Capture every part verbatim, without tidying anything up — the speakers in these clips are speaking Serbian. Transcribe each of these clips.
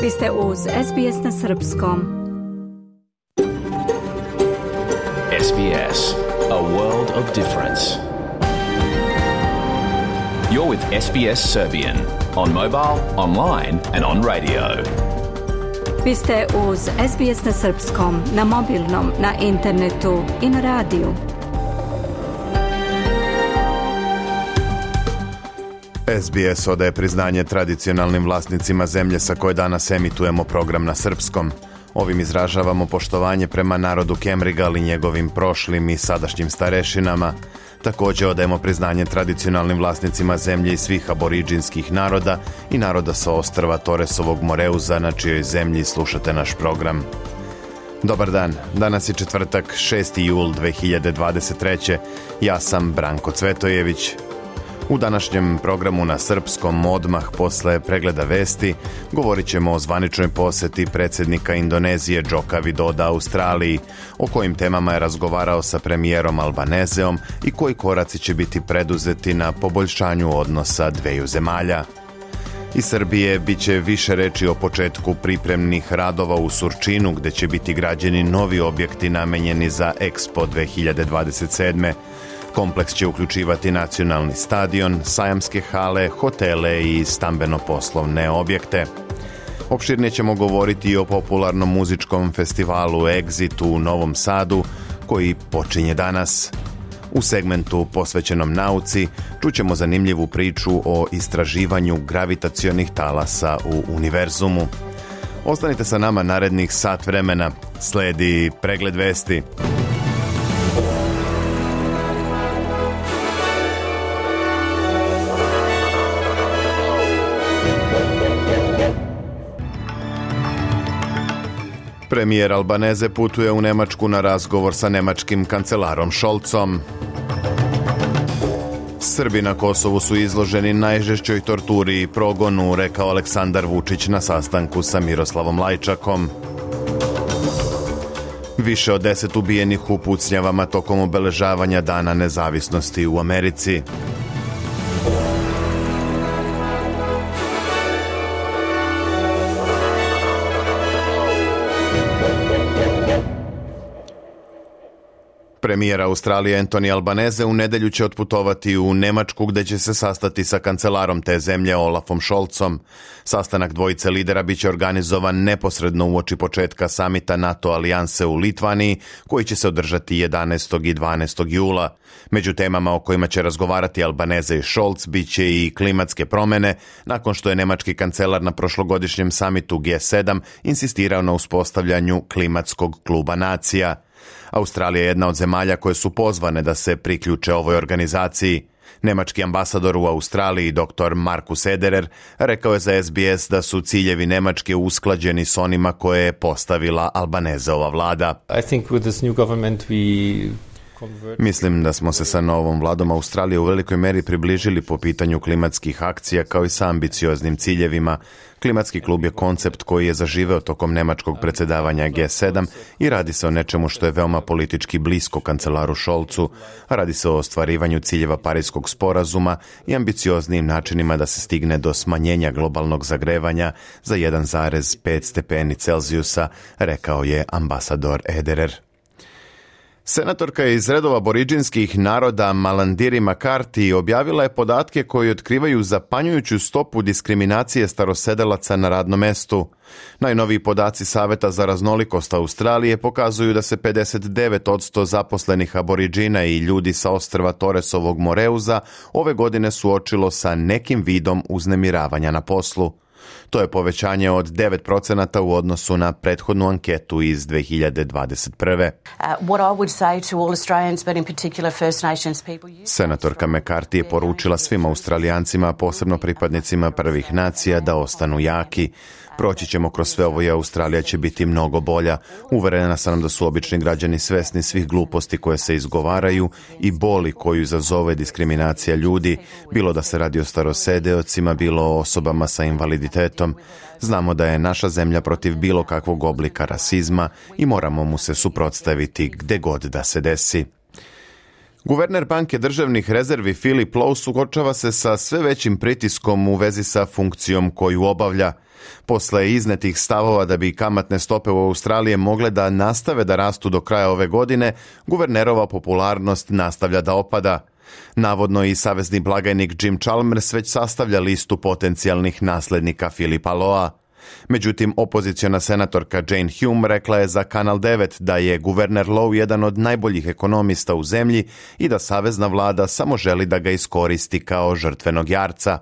Vi ste uz S B S na srpskom. S B S, a world of difference. You're with S B S Serbian on mobile, online and on radio. Vi ste uz S B S na srpskom, na mobilnom, na internetu i na radiju. S B S odaje priznanje tradicionalnim vlasnicima zemlje sa koje danas emitujemo program na srpskom. Ovim izražavamo poštovanje prema narodu Kemrigal i njegovim prošlim i sadašnjim starešinama. Također odajemo priznanje tradicionalnim vlasnicima zemlje i svih aboriđinskih naroda i naroda sa ostrva Torresovog Moreuza, na čijoj zemlji slušate naš program. Dobar dan, danas je četvrtak, šesti jul dve hiljade dvadeset treće. Ja sam Branko Cvetojević. U današnjem programu na srpskom, odmah posle pregleda vesti, govorit ćemo o zvaničnoj poseti predsjednika Indonezije Joko Widoda Australiji, o kojim temama je razgovarao sa premijerom Albanezeom i koji koraci će biti preduzeti na poboljšanju odnosa dveju zemalja. Iz Srbije bit će više reči o početku pripremnih radova u Surčinu, gde će biti građeni novi objekti namenjeni za Expo dve hiljade dvadeset sedme. Kompleks će uključivati nacionalni stadion, sajamske hale, hotele i stambeno-poslovne objekte. Opširnije ćemo govoriti i o popularnom muzičkom festivalu Exit u Novom Sadu, koji počinje danas. U segmentu posvećenom nauci čućemo zanimljivu priču o istraživanju gravitacionih talasa u univerzumu. Ostanite sa nama narednih sat vremena. Sledi pregled vesti. Premijer Albaneze putuje u Nemačku na razgovor sa nemačkim kancelarom Scholzom. Srbi na Kosovu su izloženi najžešćoj torturi i progonu, rekao Aleksandar Vučić na sastanku sa Miroslavom Lajčakom. Više od deset ubijenih u pucnjavama tokom obeležavanja Dana nezavisnosti u Americi. Premijer Australije Anthony Albanese u nedelju će otputovati u Nemačku, gde će se sastati sa kancelarom te zemlje Olafom Scholzom. Sastanak dvojice lidera biće organizovan neposredno uoči početka samita NATO alijanse u Litvaniji, koji će se održati jedanaestog i dvanaestog jula. Među temama o kojima će razgovarati Albanese i Scholz biće i klimatske promene, nakon što je nemački kancelar na prošlogodišnjem samitu G sedam insistirao na uspostavljanju klimatskog kluba nacija. Australija je jedna od zemalja koje su pozvane da se priključe ovoj organizaciji. Nemački ambasador u Australiji, dr. Markus Ederer, rekao je za S B S da su ciljevi Nemačke usklađeni s onima koje je postavila Albanezeova vlada. I think with this new government we... Mislim da smo se sa novom vladom Australije u velikoj meri približili po pitanju klimatskih akcija kao i sa ambicioznim ciljevima. Klimatski klub je koncept koji je zaživeo tokom nemačkog predsjedavanja G sedam i radi se o nečemu što je veoma politički blisko kancelaru Scholzu. Radi se o ostvarivanju ciljeva Parijskog sporazuma i ambicioznijim načinima da se stigne do smanjenja globalnog zagrevanja za jedan zarez pet stepeni Celzijusa, rekao je ambasador Ederer. Senatorka iz redova aboriđinskih naroda Malandiri Makarti objavila je podatke koji otkrivaju zapanjujuću stopu diskriminacije starosedelaca na radnom mestu. Najnoviji podaci Saveta za raznolikost Australije pokazuju da se pedeset devet posto zaposlenih aboriđina i ljudi sa ostrva Torresovog Moreuza ove godine suočilo sa nekim vidom uznemiravanja na poslu. To je povećanje od devet procenata u odnosu na prethodnu anketu iz dve hiljade dvadeset prve. Senatorka McCarthy je poručila svim Australijancima, posebno pripadnicima prvih nacija, da ostanu jaki. Proći ćemo kroz sve ovo i Australija će biti mnogo bolja. Uverena sam da su obični građani svesni svih gluposti koje se izgovaraju i boli koju izazove diskriminacija ljudi, bilo da se radi o starosedeocima, bilo o osobama sa invaliditetom. Znamo da je naša zemlja protiv bilo kakvog oblika rasizma i moramo mu se suprotstaviti gde god da se desi. Guverner banke državnih rezervi Philip Lowe suočava se sa sve većim pritiskom u vezi sa funkcijom koju obavlja. Posle iznetih stavova da bi kamatne stope u Australiji mogle da nastave da rastu do kraja ove godine, guvernerova popularnost nastavlja da opada. Navodno i savezni blagajnik Jim Chalmers već sastavlja listu potencijalnih naslednika Philipa Lowea. Međutim, opoziciona senatorka Jane Hume rekla je za Kanal devet da je guverner Lowe jedan od najboljih ekonomista u zemlji i da savezna vlada samo želi da ga iskoristi kao žrtvenog jarca.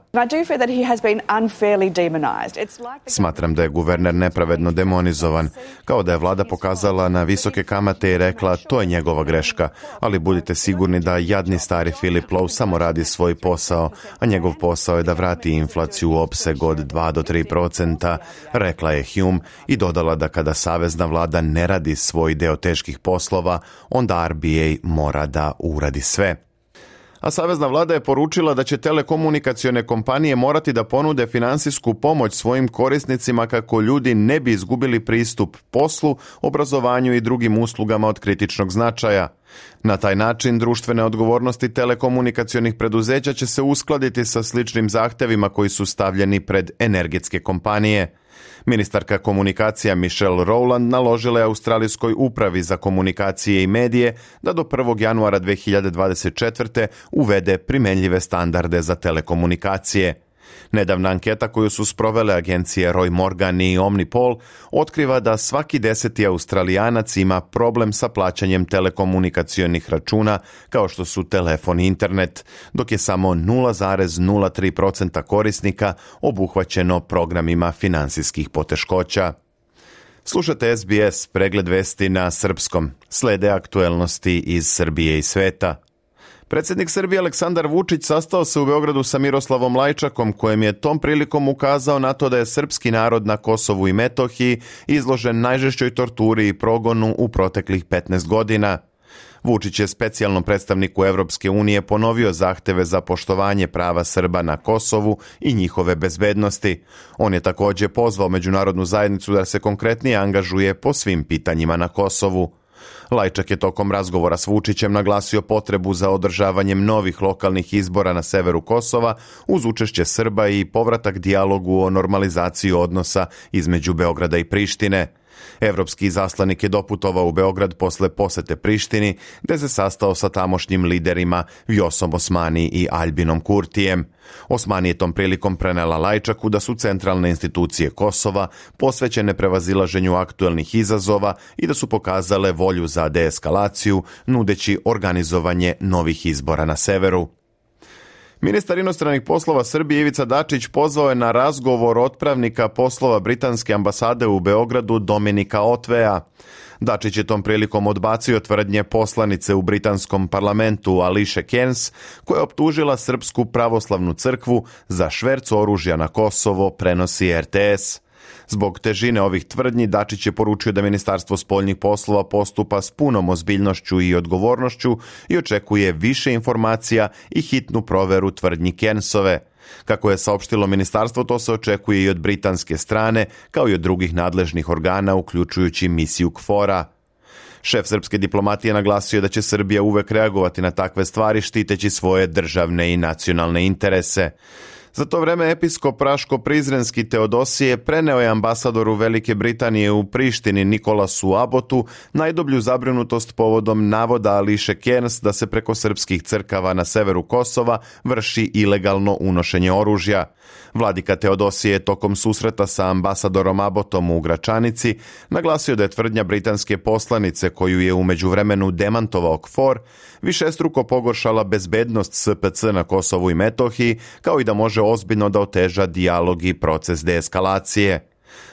Smatram da je guverner nepravedno demonizovan, kao da je vlada pokazala na visoke kamate i rekla to je njegova greška, ali budite sigurni da jadni stari Philip Lowe samo radi svoj posao, a njegov posao je da vrati inflaciju u opseg od dva do tri procenta, rekla je Hume i dodala da kada savezna vlada ne radi svoj deo teških poslova, onda R B A mora da uradi sve. A savezna vlada je poručila da će telekomunikacione kompanije morati da ponude finansijsku pomoć svojim korisnicima kako ljudi ne bi izgubili pristup poslu, obrazovanju i drugim uslugama od kritičnog značaja. Na taj način društvene odgovornosti telekomunikacionih preduzeća će se uskladiti sa sličnim zahtevima koji su stavljeni pred energetske kompanije. Ministarka komunikacija Michelle Rowland naložila je Australijskoj upravi za komunikacije i medije da do prvog januara dve hiljade dvadeset četvrte uvede primenljive standarde za telekomunikacije. Nedavna anketa koju su sprovele agencije Roy Morgan i Omnipol otkriva da svaki deseti Australijanac ima problem sa plaćanjem telekomunikacionih računa kao što su telefon i internet, dok je samo nula zarez nula tri procenta korisnika obuhvaćeno programima finansijskih poteškoća. Slušate S B S, pregled vesti na srpskom. Slede aktuelnosti iz Srbije i sveta. Predsjednik Srbije Aleksandar Vučić sastao se u Beogradu sa Miroslavom Lajčakom, kojem je tom prilikom ukazao na to da je srpski narod na Kosovu i Metohiji izložen najžešćoj torturi i progonu u proteklih petnaest godina. Vučić je specijalnom predstavniku Evropske unije ponovio zahteve za poštovanje prava Srba na Kosovu i njihove bezbednosti. On je također pozvao međunarodnu zajednicu da se konkretnije angažuje po svim pitanjima na Kosovu. Lajčak je tokom razgovora s Vučićem naglasio potrebu za održavanjem novih lokalnih izbora na severu Kosova uz učešće Srba i povratak dijalogu o normalizaciji odnosa između Beograda i Prištine. Evropski izaslanik je doputovao u Beograd posle posete Prištini, gde se sastao sa tamošnjim liderima Vjosom Osmani i Albinom Kurtijem. Osmani je tom prilikom prenela Lajčaku da su centralne institucije Kosova posvećene prevazilaženju aktuelnih izazova i da su pokazale volju za deeskalaciju, nudeći organizovanje novih izbora na severu. Ministar inostranih poslova Srbije Ivica Dačić pozvao je na razgovor otpravnika poslova britanske ambasade u Beogradu Dominika Otvea. Dačić je tom prilikom odbacio tvrdnje poslanice u britanskom parlamentu Ališe Cairns, koja je optužila Srpsku pravoslavnu crkvu za šverc oružja na Kosovo, prenosi R T S. Zbog težine ovih tvrdnji, Dačić je poručio da Ministarstvo spoljnih poslova postupa s punom ozbiljnošću i odgovornošću i očekuje više informacija i hitnu proveru tvrdnji Cairnsove. Kako je saopštilo ministarstvo, to se očekuje i od britanske strane, kao i od drugih nadležnih organa, uključujući misiju K F O R-a. Šef srpske diplomatije naglasio da će Srbija uvek reagovati na takve stvari štiteći svoje državne i nacionalne interese. Za to vreme episkop Raško-Prizrenski Teodosije preneo je ambasadoru Velike Britanije u Prištini Nikolasu Abotu najdublju zabrinutost povodom navoda Ališe Cairns da se preko srpskih crkava na severu Kosova vrši ilegalno unošenje oružja. Vladika Teodosije je tokom susreta sa ambasadorom Abotom u Gračanici naglasio da je tvrdnja britanske poslanice, koju je u međuvremenu demantovao K F O R, višestruko pogoršala bezbednost S P C na Kosovu i Metohiji, kao i da može ozbiljno da oteža dijalog i proces deeskalacije.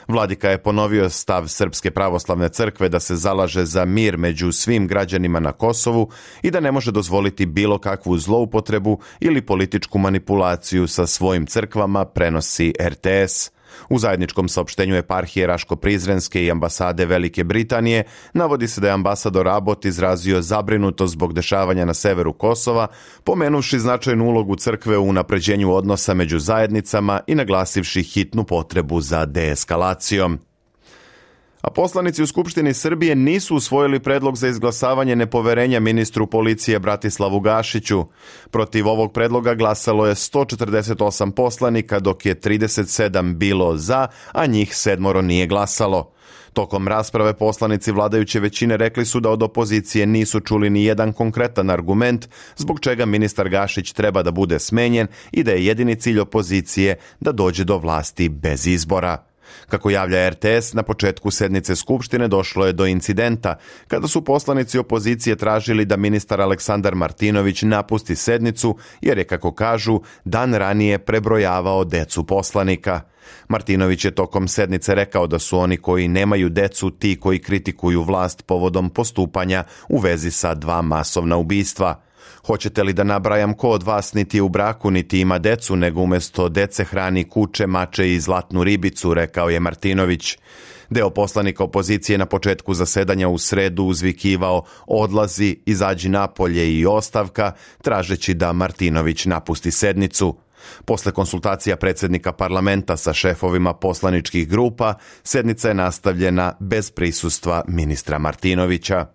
Vladika je ponovio stav Srpske pravoslavne crkve da se zalaže za mir među svim građanima na Kosovu i da ne može dozvoliti bilo kakvu zloupotrebu ili političku manipulaciju sa svojim crkvama, prenosi R T S. U zajedničkom saopštenju eparhije Raško-Prizrenske i ambasade Velike Britanije navodi se da je ambasador Abbott izrazio zabrinutost zbog dešavanja na severu Kosova, pomenuvši značajnu ulogu crkve u unapređenju odnosa među zajednicama i naglasivši hitnu potrebu za deeskalacijom. A poslanici u Skupštini Srbije nisu usvojili predlog za izglasavanje nepoverenja ministru policije Bratislavu Gašiću. Protiv ovog predloga glasalo je sto četrdeset osam poslanika, dok je trideset sedam bilo za, a njih sedmoro nije glasalo. Tokom rasprave poslanici vladajuće većine rekli su da od opozicije nisu čuli ni jedan konkretan argument zbog čega ministar Gašić treba da bude smenjen i da je jedini cilj opozicije da dođe do vlasti bez izbora. Kako javlja er te es, na početku sednice Skupštine došlo je do incidenta kada su poslanici opozicije tražili da ministar Aleksandar Martinović napusti sednicu jer je, kako kažu, dan ranije prebrojavao decu poslanika. Martinović je tokom sednice rekao da su oni koji nemaju decu ti koji kritikuju vlast povodom postupanja u vezi sa dva masovna ubistva. Hoćete li da nabrajam ko od vas niti je u braku niti ima decu, nego umjesto dece hrani kuče, mače i zlatnu ribicu, rekao je Martinović. Deo poslanika opozicije na početku zasedanja u sredu uzvikivao odlazi, izađi napolje i ostavka, tražeći da Martinović napusti sednicu. Posle konsultacija predsjednika parlamenta sa šefovima poslaničkih grupa, sednica je nastavljena bez prisustva ministra Martinovića.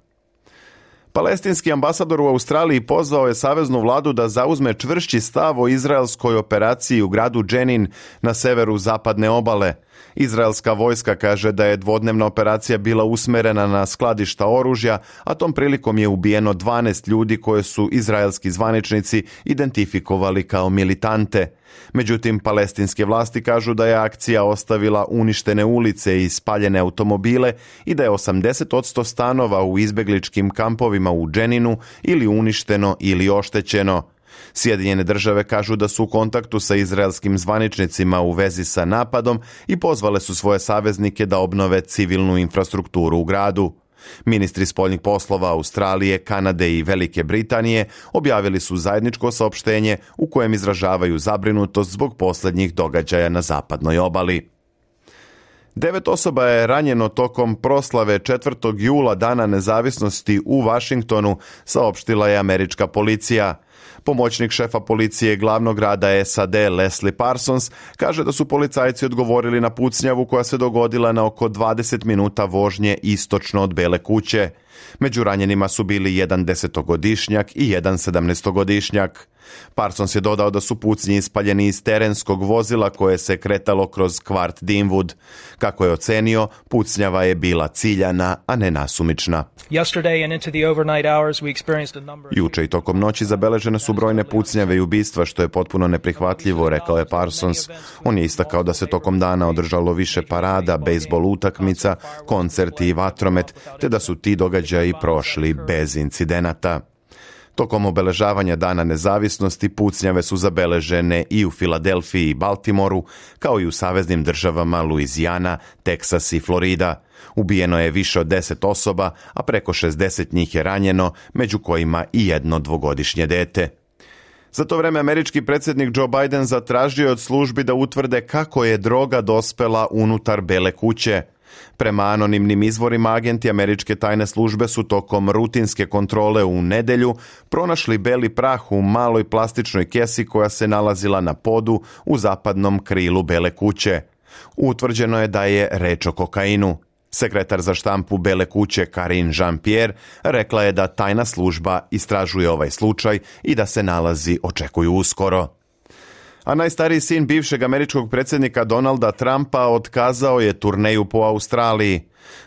Palestinski ambasador u Australiji pozvao je saveznu vladu da zauzme čvršći stav o izraelskoj operaciji u gradu Dženin na severu zapadne obale. Izraelska vojska kaže da je dvodnevna operacija bila usmerena na skladišta oružja, a tom prilikom je ubijeno dvanaest ljudi koje su izraelski zvaničnici identifikovali kao militante. Međutim, palestinske vlasti kažu da je akcija ostavila uništene ulice i spaljene automobile i da je osamdeset posto stanova u izbegličkim kampovima u Dženinu ili uništeno ili oštećeno. Sjedinjene države kažu da su u kontaktu sa izraelskim zvaničnicima u vezi sa napadom i pozvale su svoje saveznike da obnove civilnu infrastrukturu u gradu. Ministri spoljnih poslova Australije, Kanade i Velike Britanije objavili su zajedničko saopštenje u kojem izražavaju zabrinutost zbog posljednjih događaja na zapadnoj obali. Devet osoba je ranjeno tokom proslave četvrtog jula Dana nezavisnosti u Vašingtonu, saopštila je američka policija. Pomoćnik šefa policije glavnog grada es a de Leslie Parsons kaže da su policajci odgovorili na pucnjavu koja se dogodila na oko dvadeset minuta vožnje istočno od Bele kuće. Među ranjenima su bili jedan desetogodišnjak i jedan sedamnaestogodišnjak. Parsons je dodao da su pucnji ispaljeni iz terenskog vozila koje se kretalo kroz kvart Deanwood. Kako je ocenio, pucnjava je bila ciljana, a ne nasumična. Juče i tokom noći zabeležene su brojne pucnjave i ubistva, što je potpuno neprihvatljivo, rekao je Parsons. On je istakao da se tokom dana održalo više parada, bejsbol utakmica, koncerti i vatromet, te da su ti događaji prošli bez incidenata. Tokom obeležavanja Dana nezavisnosti pucnjave su zabeležene i u Filadelfiji i Baltimoru, kao i u saveznim državama Luizijana, Teksas i Florida. Ubijeno je više od deset osoba, a preko šezdeset njih je ranjeno, među kojima i jedno dvogodišnje dete. Za to vreme američki predsjednik Joe Biden zatražio od službi da utvrde kako je droga dospela unutar Bele kuće. Prema anonimnim izvorima, agenti američke tajne službe su tokom rutinske kontrole u nedelju pronašli beli prah u maloj plastičnoj kesi koja se nalazila na podu u zapadnom krilu Bele kuće. Utvrđeno je da je reč o kokainu. Sekretar za štampu Bele kuće Karine Jean-Pierre rekla je da tajna služba istražuje ovaj slučaj i da se nalazi očekuju uskoro. A najstariji sin bivšeg američkog predsjednika Donalda Trumpa otkazao je turneju po Australiji.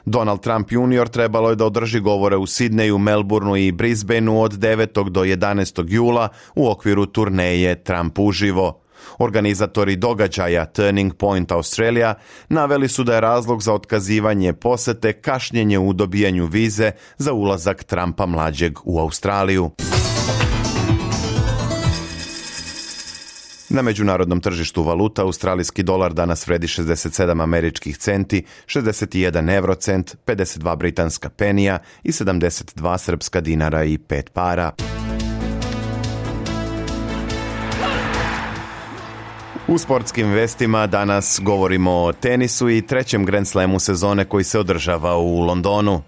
Donald Trump junior trebalo je da održi govore u Sidneju, Melbourneu i Brisbaneu od devetog do jedanaestog jula u okviru turneje Trump uživo. Organizatori događaja Turning Point Australia naveli su da je razlog za otkazivanje posete kašnjenje u dobijanju vize za ulazak Trumpa mlađeg u Australiju. Na međunarodnom tržištu valuta australijski dolar danas vredi šezdeset sedam američkih centi, šezdeset jedan eurocent, pedeset dva britanska penija i sedamdeset dva srpska dinara i pet para. U sportskim vestima danas govorimo o tenisu i trećem Grand Slamu sezone koji se održava u Londonu.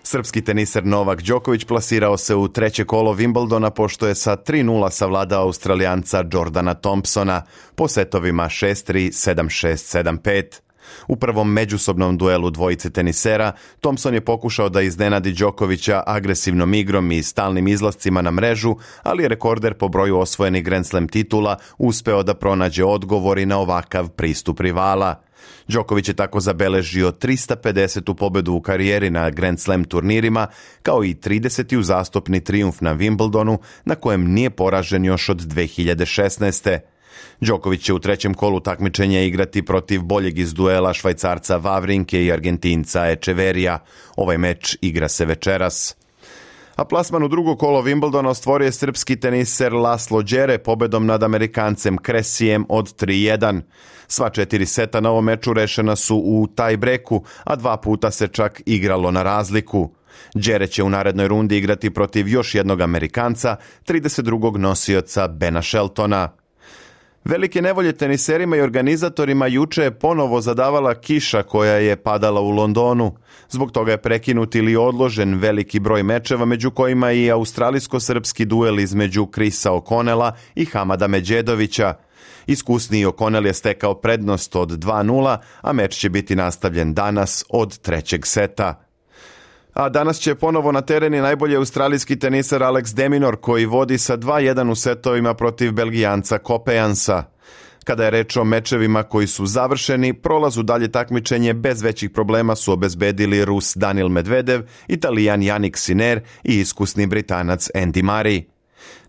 Srpski teniser Novak Đoković plasirao se u treće kolo Wimbledona pošto je sa tri nula savladao Australijanca Jordana Thompsona po setovima šest tri, sedam šest, sedam pet. U prvom međusobnom duelu dvojice tenisera, Thompson je pokušao da iznenadi Đokovića agresivnom igrom i stalnim izlascima na mrežu, ali je rekorder po broju osvojenih Grand Slam titula uspeo da pronađe odgovori na ovakav pristup rivala. Đoković je tako zabeležio trista pedesetu pobedu u karijeri na Grand Slam turnirima, kao i trideseti uzastopni trijumf na Wimbledonu, na kojem nije poražen još od dve hiljade šesnaeste. Đoković će u trećem kolu takmičenja igrati protiv boljeg iz duela Švajcarca Vavrinke i Argentinca Echeverija. Ovaj meč igra se večeras. A plasman u drugo kolo Wimbledona ostvorio je srpski teniser Laslo Đere pobedom nad Amerikancem Kresijem od tri jedan. Sva četiri seta na ovom meču rešena su u tie-breaku, a dva puta se čak igralo na razliku. Đere će u narednoj rundi igrati protiv još jednog Amerikanca, trideset drugog nosioca Bena Sheltona. Velike nevolje teniserima i organizatorima juče je ponovo zadavala kiša koja je padala u Londonu. Zbog toga je prekinut ili odložen veliki broj mečeva, među kojima i australijsko-srpski duel između Chrisa O'Connella i Hamada Medjedovića. Iskusniji O'Connell je stekao prednost od dva nula, a meč će biti nastavljen danas od trećeg seta. A danas će ponovo na tereni najbolji australijski teniser Alex de Minaur, koji vodi sa dva jedan u setovima protiv Belgijanca Kopejansa. Kada je reč o mečevima koji su završeni, prolaz u dalje takmičenje bez većih problema su obezbedili Rus Daniil Medvedev, Italijan Jannik Sinner i iskusni Britanac Andy Murray.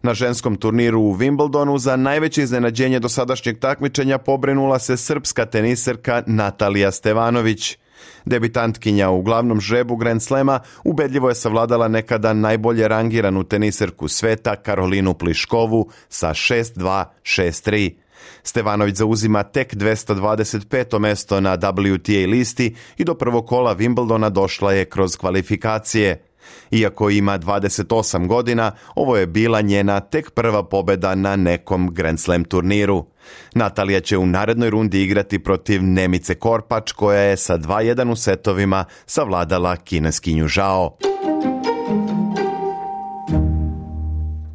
Na ženskom turniru u Wimbledonu za najveće iznenađenje dosadašnjeg takmičenja pobrinula se srpska teniserka Natalija Stevanović. Debitantkinja u glavnom žrebu Grand Slema ubedljivo je savladala nekada najbolje rangiranu teniserku sveta Karolinu Pliškovu sa šest dva, šest tri. Stevanović zauzima tek dvesta dvadeset peto mesto na W T A listi i do prvog kola Wimbledona došla je kroz kvalifikacije. Iako ima dvadeset osam godina, ovo je bila njena tek prva pobeda na nekom Grand Slam turniru. Natalija će u narednoj rundi igrati protiv Nemice Korpač, koja je sa dva jedan u setovima savladala Kineskinju Zhao.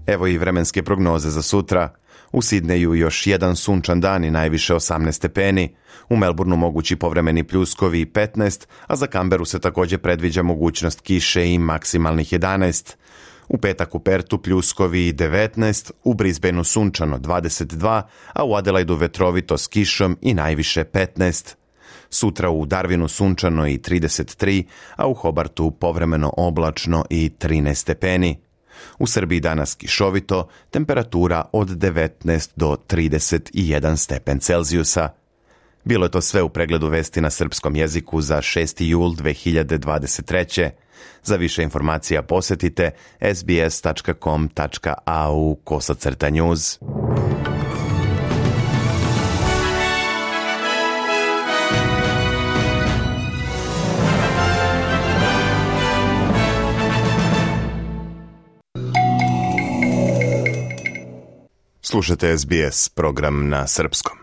Evo i vremenske prognoze za sutra. U Sidneju još jedan sunčan dan i najviše osamnaest stepeni. U Melbourneu mogući povremeni pljuskovi i petnaest, a za Canberu se također predviđa mogućnost kiše i maksimalnih jedanaest. U petak u Pertu pljuskovi i devetnaest, u Brisbaneu sunčano dvadeset dva, a u Adelaidu vetrovito s kišom i najviše petnaest. Sutra u Darwinu sunčano i trideset tri, a u Hobartu povremeno oblačno i trinaest stepeni. U Srbiji danas kišovito, temperatura od devetnaest do trideset jedan stepen Celzijusa. Bilo je to sve u pregledu vesti na srpskom jeziku za šesti jul dve hiljade dvadeset treće. Za više informacija posjetite sbs tačka com tačka a u kosacrta news. Slušate S B S, program na srpskom.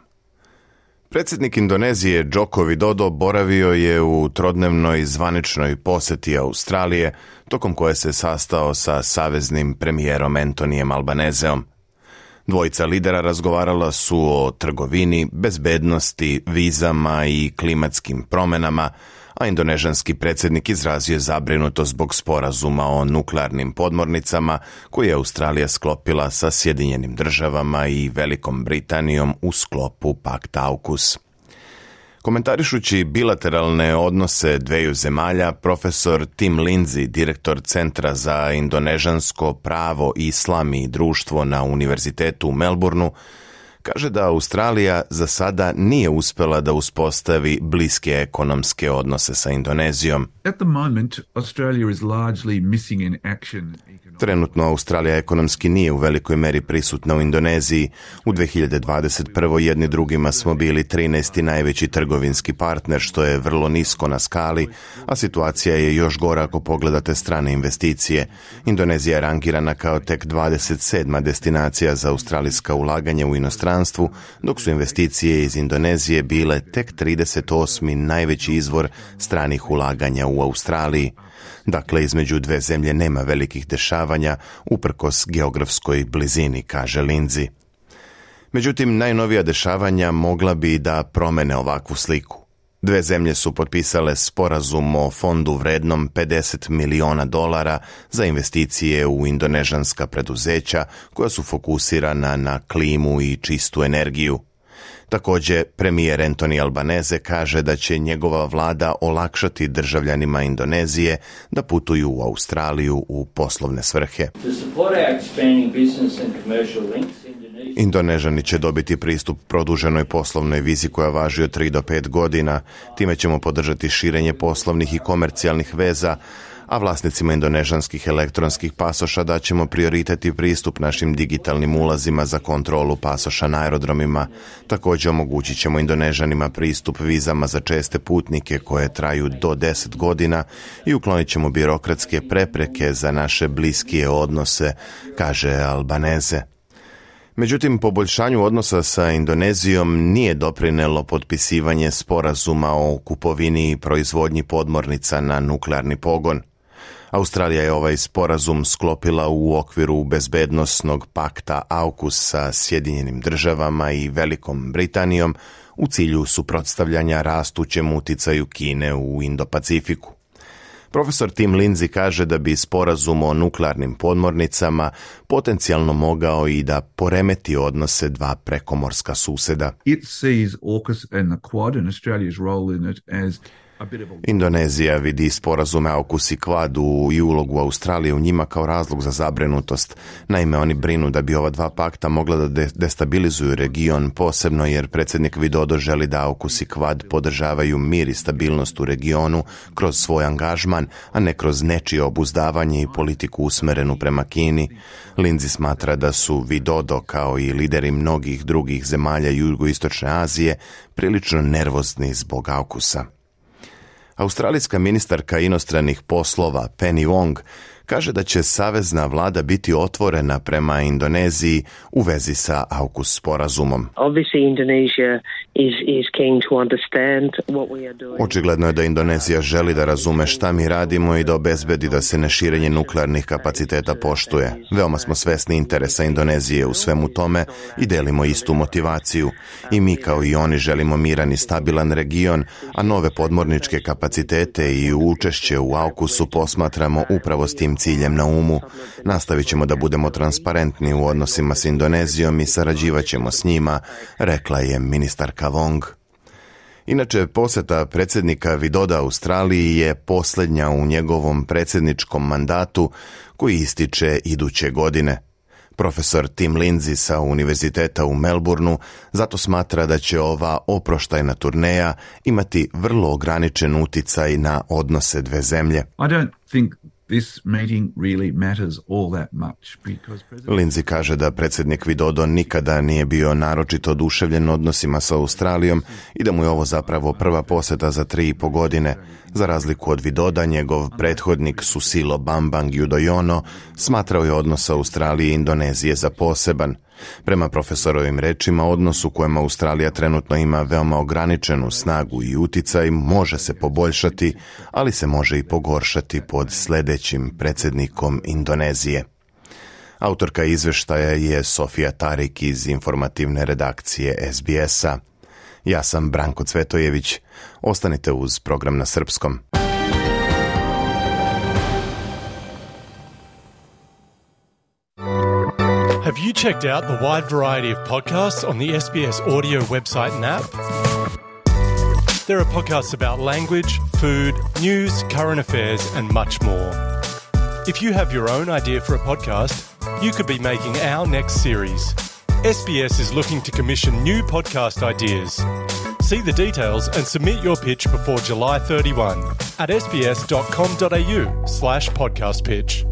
Predsjednik Indonezije Joko Widodo boravio je u trodnevnoj zvaničnoj posjeti Australije, tokom koje se sastao sa saveznim premijerom Antonijem Albanezeom. Dvojica lidera razgovarala su o trgovini, bezbednosti, vizama i klimatskim promjenama, a indonežanski predsjednik izrazio zabrinutost zbog sporazuma o nuklearnim podmornicama koje je Australija sklopila sa Sjedinjenim državama i Velikom Britanijom u sklopu pakta AUKUS. Komentarišući bilateralne odnose dveju zemalja, profesor Tim Lindsay, direktor Centra za indonežansko pravo, islam i društvo na Univerzitetu u Melbourneu, kaže da Australija za sada nije uspjela da uspostavi bliske ekonomske odnose sa Indonezijom. At the moment, Australia is largely missing in action. Trenutno Australija ekonomski nije u velikoj meri prisutna u Indoneziji. U dve hiljade dvadeset prvoj jedni drugima smo bili trinaesti najveći trgovinski partner, što je vrlo nisko na skali, a situacija je još gora ako pogledate strane investicije. Indonezija je rangirana kao tek dvadeset sedma destinacija za australijska ulaganja u inostranstvu, dok su investicije iz Indonezije bile tek trideset osmi najveći izvor stranih ulaganja u Australiji. Dakle, između dve zemlje nema velikih dešavanja, uprkos geografskoj blizini, kaže Lindsay. Međutim, najnovija dešavanja mogla bi da promene ovakvu sliku. Dve zemlje su potpisale sporazum o fondu vrednom pedeset miliona dolara za investicije u indonežanska preduzeća koja su fokusirana na klimu i čistu energiju. Također, premijer Anthony Albanese kaže da će njegova vlada olakšati državljanima Indonezije da putuju u Australiju u poslovne svrhe. Indonežani će dobiti pristup produženoj poslovnoj vizi koja važi od tri do pet godina. Time ćemo podržati širenje poslovnih i komercijalnih veza, a vlasnicima indonežanskih elektronskih pasoša daćemo prioritet i pristup našim digitalnim ulazima za kontrolu pasoša na aerodromima. Također omogućit ćemo Indonežanima pristup vizama za česte putnike koje traju do deset godina i uklonit ćemo birokratske prepreke za naše bliskije odnose, kaže Albanese. Međutim, poboljšanju odnosa sa Indonezijom nije doprinelo potpisivanje sporazuma o kupovini i proizvodnji podmornica na nuklearni pogon. Australija je ovaj sporazum sklopila u okviru bezbednosnog pakta AUKUS sa Sjedinjenim državama i Velikom Britanijom u cilju suprotstavljanja rastućem uticaju Kine u Indo-Pacifiku. Profesor Tim Lindsay kaže da bi sporazum o nuklearnim podmornicama potencijalno mogao i da poremeti odnose dva prekomorska suseda. It sees AUKUS and the Quad and Australia's role in it as Indonezija vidi sporazume AUKUS i Quad i ulogu Australije u njima kao razlog za zabrinutost. Naime, oni brinu da bi ova dva pakta mogla da destabilizuju region, posebno jer predsjednik Widodo želi da AUKUS i Quad podržavaju mir i stabilnost u regionu kroz svoj angažman, a ne kroz nečije obuzdavanje i politiku usmerenu prema Kini. Lindsay smatra da su Widodo, kao i lideri mnogih drugih zemalja jugoistočne Azije, prilično nervozni zbog AUKUS-a. Australijska ministarka inostranih poslova Penny Wong kaže da će savezna vlada biti otvorena prema Indoneziji u vezi sa AUKUS sporazumom. Očigledno je da Indonezija želi da razume šta mi radimo i da obezbedi da se neširenje nuklearnih kapaciteta poštuje. Veoma smo svesni interesa Indonezije u svemu tome i delimo istu motivaciju. I mi kao i oni želimo miran i stabilan region, a nove podmorničke kapacitete i učešće u AUKUS-u posmatramo upravo s tim ciljem na umu. Nastavit ćemo da budemo transparentni u odnosima s Indonezijom i sarađivat ćemo s njima, rekla je ministarka Wong. Inače, posjeta predsjednika Widoda Australiji je posljednja u njegovom predsjedničkom mandatu koji ističe iduće godine. Profesor Tim Lindsay sa Univerziteta u Melbourneu zato smatra da će ova oproštajna turneja imati vrlo ograničen uticaj na odnose dve zemlje. I don't think this meeting really matters all that much because President... Lindsay kaže da predsjednik Widodo nikada nije bio naročito oduševljen odnosima sa Australijom i da mu je ovo zapravo prva posjeta za tri i po godine. Za razliku od Widoda, njegov prethodnik Susilo Bambang Yudhoyono smatrao je odnos Australije i Indonezije za poseban. Prema profesorovim rečima, odnos u kojem Australija trenutno ima veoma ograničenu snagu i uticaj može se poboljšati, ali se može i pogoršati pod sljedećim predsjednikom Indonezije. Autorka izvještaja je Sofija Tarik iz informativne redakcije S B S-a. Ja sam Branko Cvetojević. Ostanite uz program na srpskom. Have you checked out the wide variety of podcasts on the S B S audio website and app? There are podcasts about language, food, news, current affairs, and much more. If you have your own idea for a podcast, you could be making our next series. S B S is looking to commission new podcast ideas. See the details and submit your pitch before July thirty-first at sbs.com.au slash podcast pitch.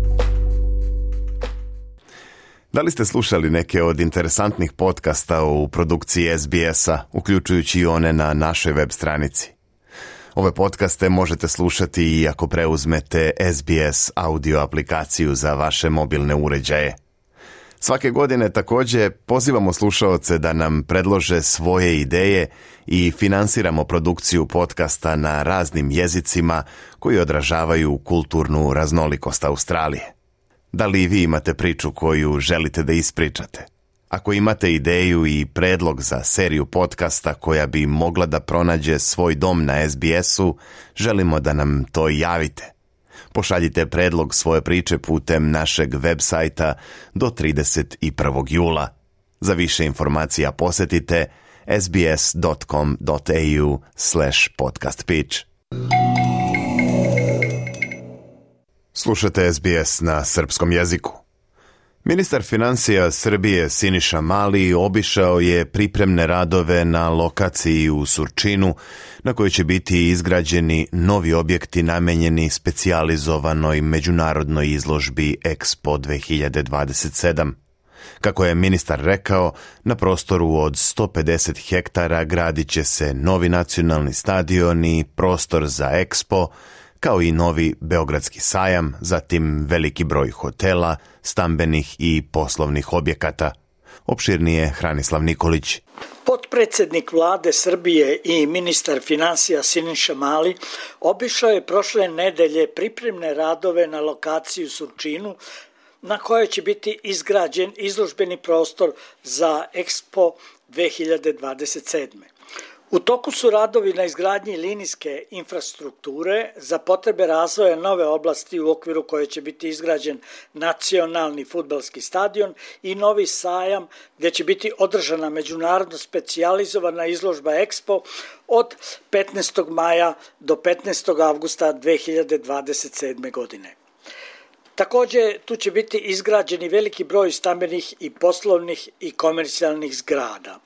Da li ste slušali neke od interesantnih podcasta u produkciji S B S-a, uključujući i one na našoj web stranici? Ove podcaste možete slušati i ako preuzmete S B S audio aplikaciju za vaše mobilne uređaje. Svake godine također pozivamo slušaoce da nam predlože svoje ideje i finansiramo produkciju podcasta na raznim jezicima koji odražavaju kulturnu raznolikost Australije. Da li vi imate priču koju želite da ispričate? Ako imate ideju i predlog za seriju podcasta koja bi mogla da pronađe svoj dom na S B S-u, želimo da nam to javite. Pošaljite predlog svoje priče putem našeg web sajta do trideset prvog jula. Za više informacija posjetite sbs.com.au slash podcast pitch. Slušate S B S na srpskom jeziku. Ministar financija Srbije Siniša Mali obišao je pripremne radove na lokaciji u Surčinu na kojoj će biti izgrađeni novi objekti namenjeni specijalizovanoj međunarodnoj izložbi Expo dve hiljade dvadeset sedam. Kako je ministar rekao, na prostoru od sto pedeset hektara gradit će se novi nacionalni stadion i prostor za Expo, kao i novi Beogradski sajam, zatim veliki broj hotela, stambenih i poslovnih objekata. Opširnije Hranislav Nikolić. Potpredsednik vlade Srbije i ministar financija Siniša Mali obišao je prošle nedelje pripremne radove na lokaciji u Surčinu, na kojoj će biti izgrađen izložbeni prostor za Expo dve hiljade dvadeset sedam. U toku su radovi na izgradnji linijske infrastrukture za potrebe razvoja nove oblasti u okviru koje će biti izgrađen nacionalni fudbalski stadion i novi sajam gdje će biti održana međunarodno specijalizovana izložba Expo od petnaestog maja do petnaestog avgusta dve hiljade dvadeset sedme. godine. Također, tu će biti izgrađeni veliki broj stambenih i poslovnih i komercijalnih zgrada.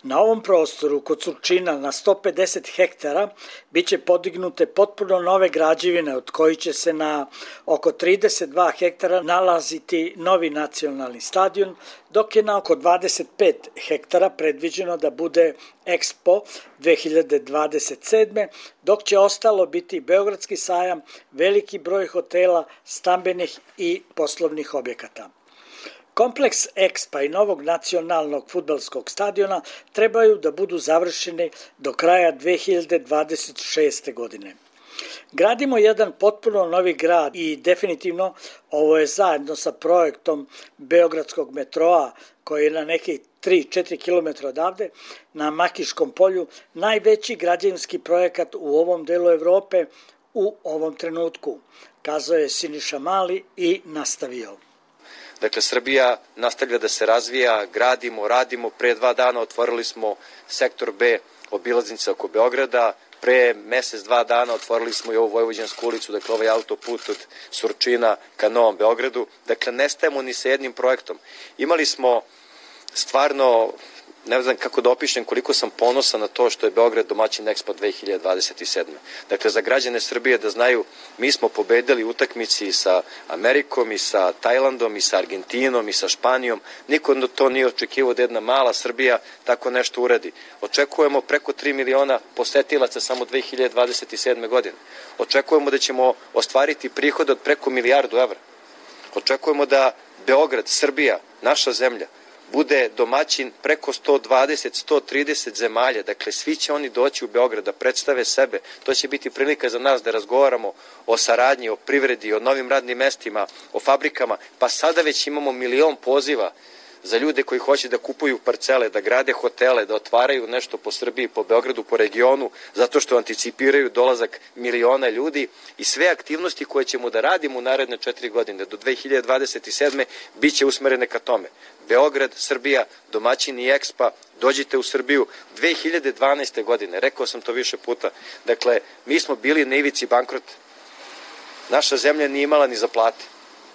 Na ovom prostoru kod Surčina na sto pedeset hektara bit će podignute potpuno nove građevine od kojih će se na oko trideset dva hektara nalaziti novi nacionalni stadion, dok je na oko dvadeset pet hektara predviđeno da bude Expo dve hiljade dvadeset sedme. dok će ostalo biti Beogradski sajam, veliki broj hotela, stambenih i poslovnih objekata. Kompleks Expa i novog nacionalnog fudbalskog stadiona trebaju da budu završeni do kraja dve hiljade dvadeset šeste. godine. Gradimo jedan potpuno novi grad i definitivno ovo je zajedno sa projektom Beogradskog metroa koji je na nekih tri do četiri kilometra odavde na Makiškom polju najveći građevinski projekat u ovom delu Evrope u ovom trenutku, kazao je Siniša Mali i nastavio. Dakle, Srbija nastavlja da se razvija, gradimo, radimo. Pre dva dana otvorili smo sektor B, obilaznica oko Beograda. Pre mesec, dva dana otvorili smo i ovu Vojvođansku ulicu, dakle ovaj autoput od Surčina ka Novom Beogradu. Dakle, ne stajemo ni sa jednim projektom. Imali smo stvarno, ne znam kako da opišem koliko sam ponosan na to što je Beograd domaćin Expo dve hiljade dvadeset sedme. Dakle, za građane Srbije da znaju, mi smo pobedili utakmici i sa Amerikom, i sa Tajlandom, i sa Argentinom, i sa Španijom. Niko to nije očekivao da jedna mala Srbija tako nešto uradi. Očekujemo preko tri miliona posetilaca samo dve hiljade dvadeset sedme. godine. Očekujemo da ćemo ostvariti prihod od preko milijardu evra. Očekujemo da Beograd, Srbija, naša zemlja, bude domaćin preko sto dvadeset do sto trideset zemalja. Dakle, svi će oni doći u Beograd da predstave sebe. To će biti prilika za nas da razgovaramo o saradnji, o privredi, o novim radnim mestima, o fabrikama. Pa sada već imamo milion poziva za ljude koji hoće da kupuju parcele, da grade hotele, da otvaraju nešto po Srbiji, po Beogradu, po regionu, zato što anticipiraju dolazak miliona ljudi i sve aktivnosti koje ćemo da radimo u naredne četiri godine do dve hiljade dvadeset sedme. bit će usmerene ka tome. Beograd, Srbija, domaćini Expa, dođite u Srbiju. dve hiljade dvanaeste. godine, rekao sam to više puta, dakle, mi smo bili na ivici bankrota. Naša zemlja nije imala ni za plate.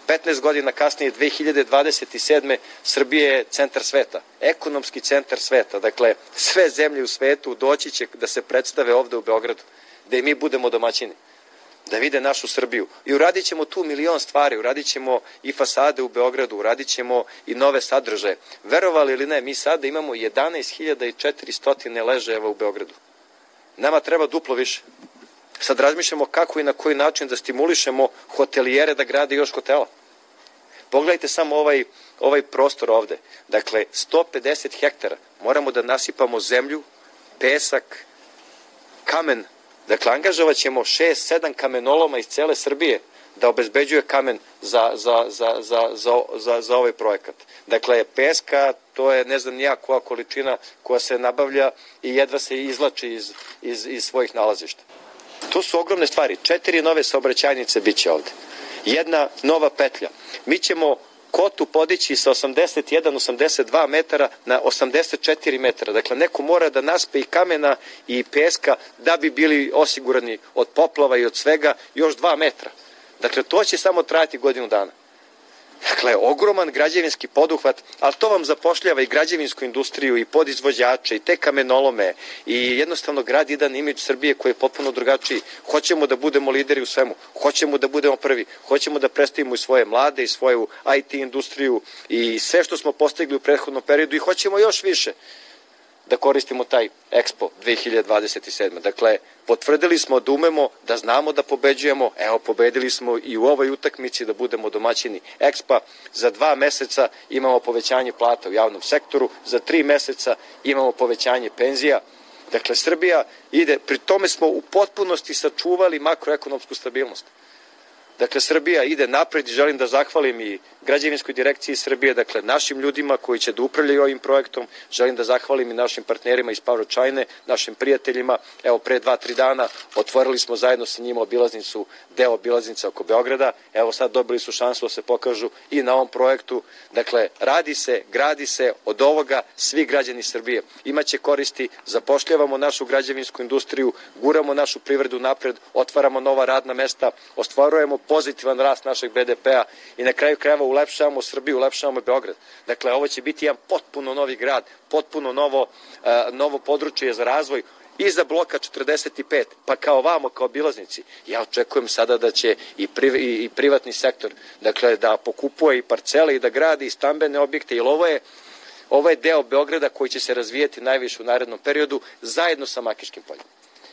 petnaest godina kasnije, dve hiljade dvadeset sedme. Srbija je centar sveta, ekonomski centar sveta. Dakle, sve zemlje u svetu doći će da se predstave ovde u Beogradu, da i mi budemo domaćini, da vide našu Srbiju. I uradit ćemo tu milion stvari, uradit ćemo i fasade u Beogradu, uradit ćemo i nove sadržaje. Verovali ili ne, mi sada imamo jedanaest hiljada četiristo ležajeva u Beogradu. Nama treba duplo više. Sad razmišljamo kako i na koji način da stimulišemo hotelijere da grade još hotela. Pogledajte samo ovaj, ovaj prostor ovde. Dakle, sto pedeset hektara. Moramo da nasipamo zemlju, pesak, kamen. Dakle, angažovat ćemo šest sedam kamenoloma iz cele Srbije da obezbeđuje kamen za, za, za, za, za, za, za ovaj projekat. Dakle, peska, to je ne znam nija koja količina koja se nabavlja i jedva se izlači iz, iz, iz svojih nalazišta. To su ogromne stvari. Četiri nove saobraćajnice bit će ovde. Jedna nova petlja. Mi ćemo kotu podići sa osamdeset jedan osamdeset dva metara na osamdeset četiri metara. Dakle, neko mora da naspe i kamena i peska da bi bili osigurani od poplava i od svega još dva metra. Dakle, to će samo trajati godinu dana. Dakle, ogroman građevinski poduhvat, ali to vam zapošljava i građevinsku industriju i podizvođače i te kamenolome i jednostavno grad jedan imidž Srbije koji je potpuno drugačiji. Hoćemo da budemo lideri u svemu, hoćemo da budemo prvi, hoćemo da predstavimo i svoje mlade i svoju I T industriju i sve što smo postigli u prethodnom periodu i hoćemo još više da koristimo taj Expo dve hiljade dvadeset sedme. Dakle, potvrdili smo da umemo, da znamo da pobeđujemo, evo pobedili smo i u ovoj utakmici da budemo domaćini Expa. Za dva meseca imamo povećanje plata u javnom sektoru, za tri meseca imamo povećanje penzija. Dakle, Srbija ide, pri tome smo u potpunosti sačuvali makroekonomsku stabilnost. Dakle, Srbija ide napred i želim da zahvalim i građevinskoj direkciji Srbije, dakle, našim ljudima koji će da upravljaju ovim projektom, želim da zahvalim i našim partnerima iz PowerChina, našim prijateljima. Evo, pre dva, tri dana otvorili smo zajedno sa njima obilaznicu, deo obilaznice oko Beograda. Evo, sad dobili su šansu da se pokažu i na ovom projektu. Dakle, radi se, gradi se, od ovoga svi građani Srbije imaće koristi, zapošljavamo našu građevinsku industriju, guramo našu privredu napred, otvaramo nova radna mesta, ostvarujemo pozitivan rast našeg B D P-a i na kraju krajeva ulepšavamo Srbiju, ulepšavamo Beograd. Dakle, ovo će biti jedan potpuno novi grad, potpuno novo, uh, novo područje za razvoj i za bloka četrdeset pet, pa kao vamo, kao obilaznici. Ja očekujem sada da će i, priv, i, i privatni sektor, dakle, da pokupuje i parcele i da gradi i stambene objekte, jer ovo je, ovo je deo Beograda koji će se razvijeti najviše u narednom periodu zajedno sa Makiškim poljem.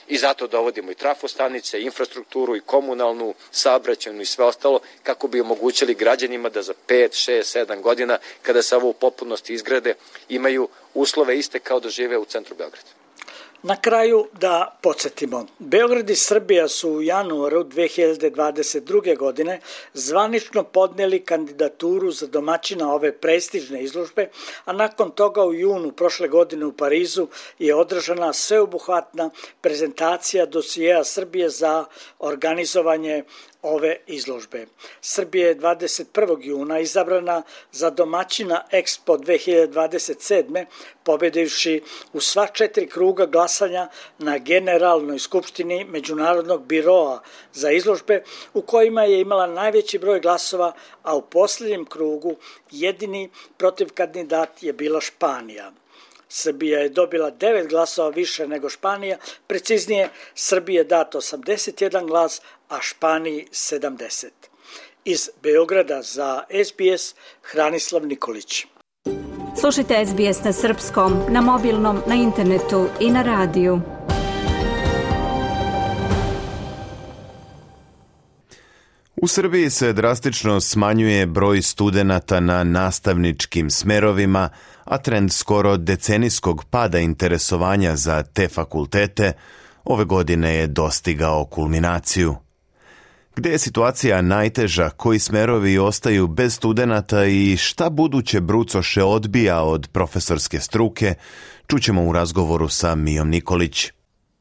I zato dovodimo i trafostanice, infrastrukturu i komunalnu, saobraćajnu i sve ostalo kako bi omogućili građanima da za pet, šest, sedam godina kada se ovo u potpunosti izgrade imaju uslove iste kao da žive u centru Beograda. Na kraju da podsjetimo, Beograd i Srbija su u januaru dve hiljade dvadeset druge. godine zvanično podneli kandidaturu za domaćina ove prestižne izložbe, a nakon toga u junu prošle godine u Parizu je održana sveobuhvatna prezentacija dosijeja Srbije za organizovanje ove izložbe. Srbija je dvadeset prvog juna izabrana za domaćina Expo dve hiljade dvadeset sedme. pobedivši u sva četiri kruga glasanja na Generalnoj skupštini Međunarodnog biroa za izložbe, u kojima je imala najveći broj glasova, a u posljednjem krugu jedini protiv kandidat je bila Španija. Srbija je dobila devet glasova više nego Španija, preciznije Srbiji je dato osamdeset jedan glas, a Španiji sedamdeset. Iz Beograda za S B S Hranislav Nikolić. Slušajte S B S na srpskom, na mobilnom, na internetu i na radiju. U Srbiji se drastično smanjuje broj studenata na nastavničkim smerovima, a trend skoro decenijskog pada interesovanja za te fakultete ove godine je dostigao kulminaciju. Gde je situacija najteža, koji smerovi ostaju bez studenata i šta buduće brucoše odbija od profesorske struke, čućemo u razgovoru sa Mijom Nikolić.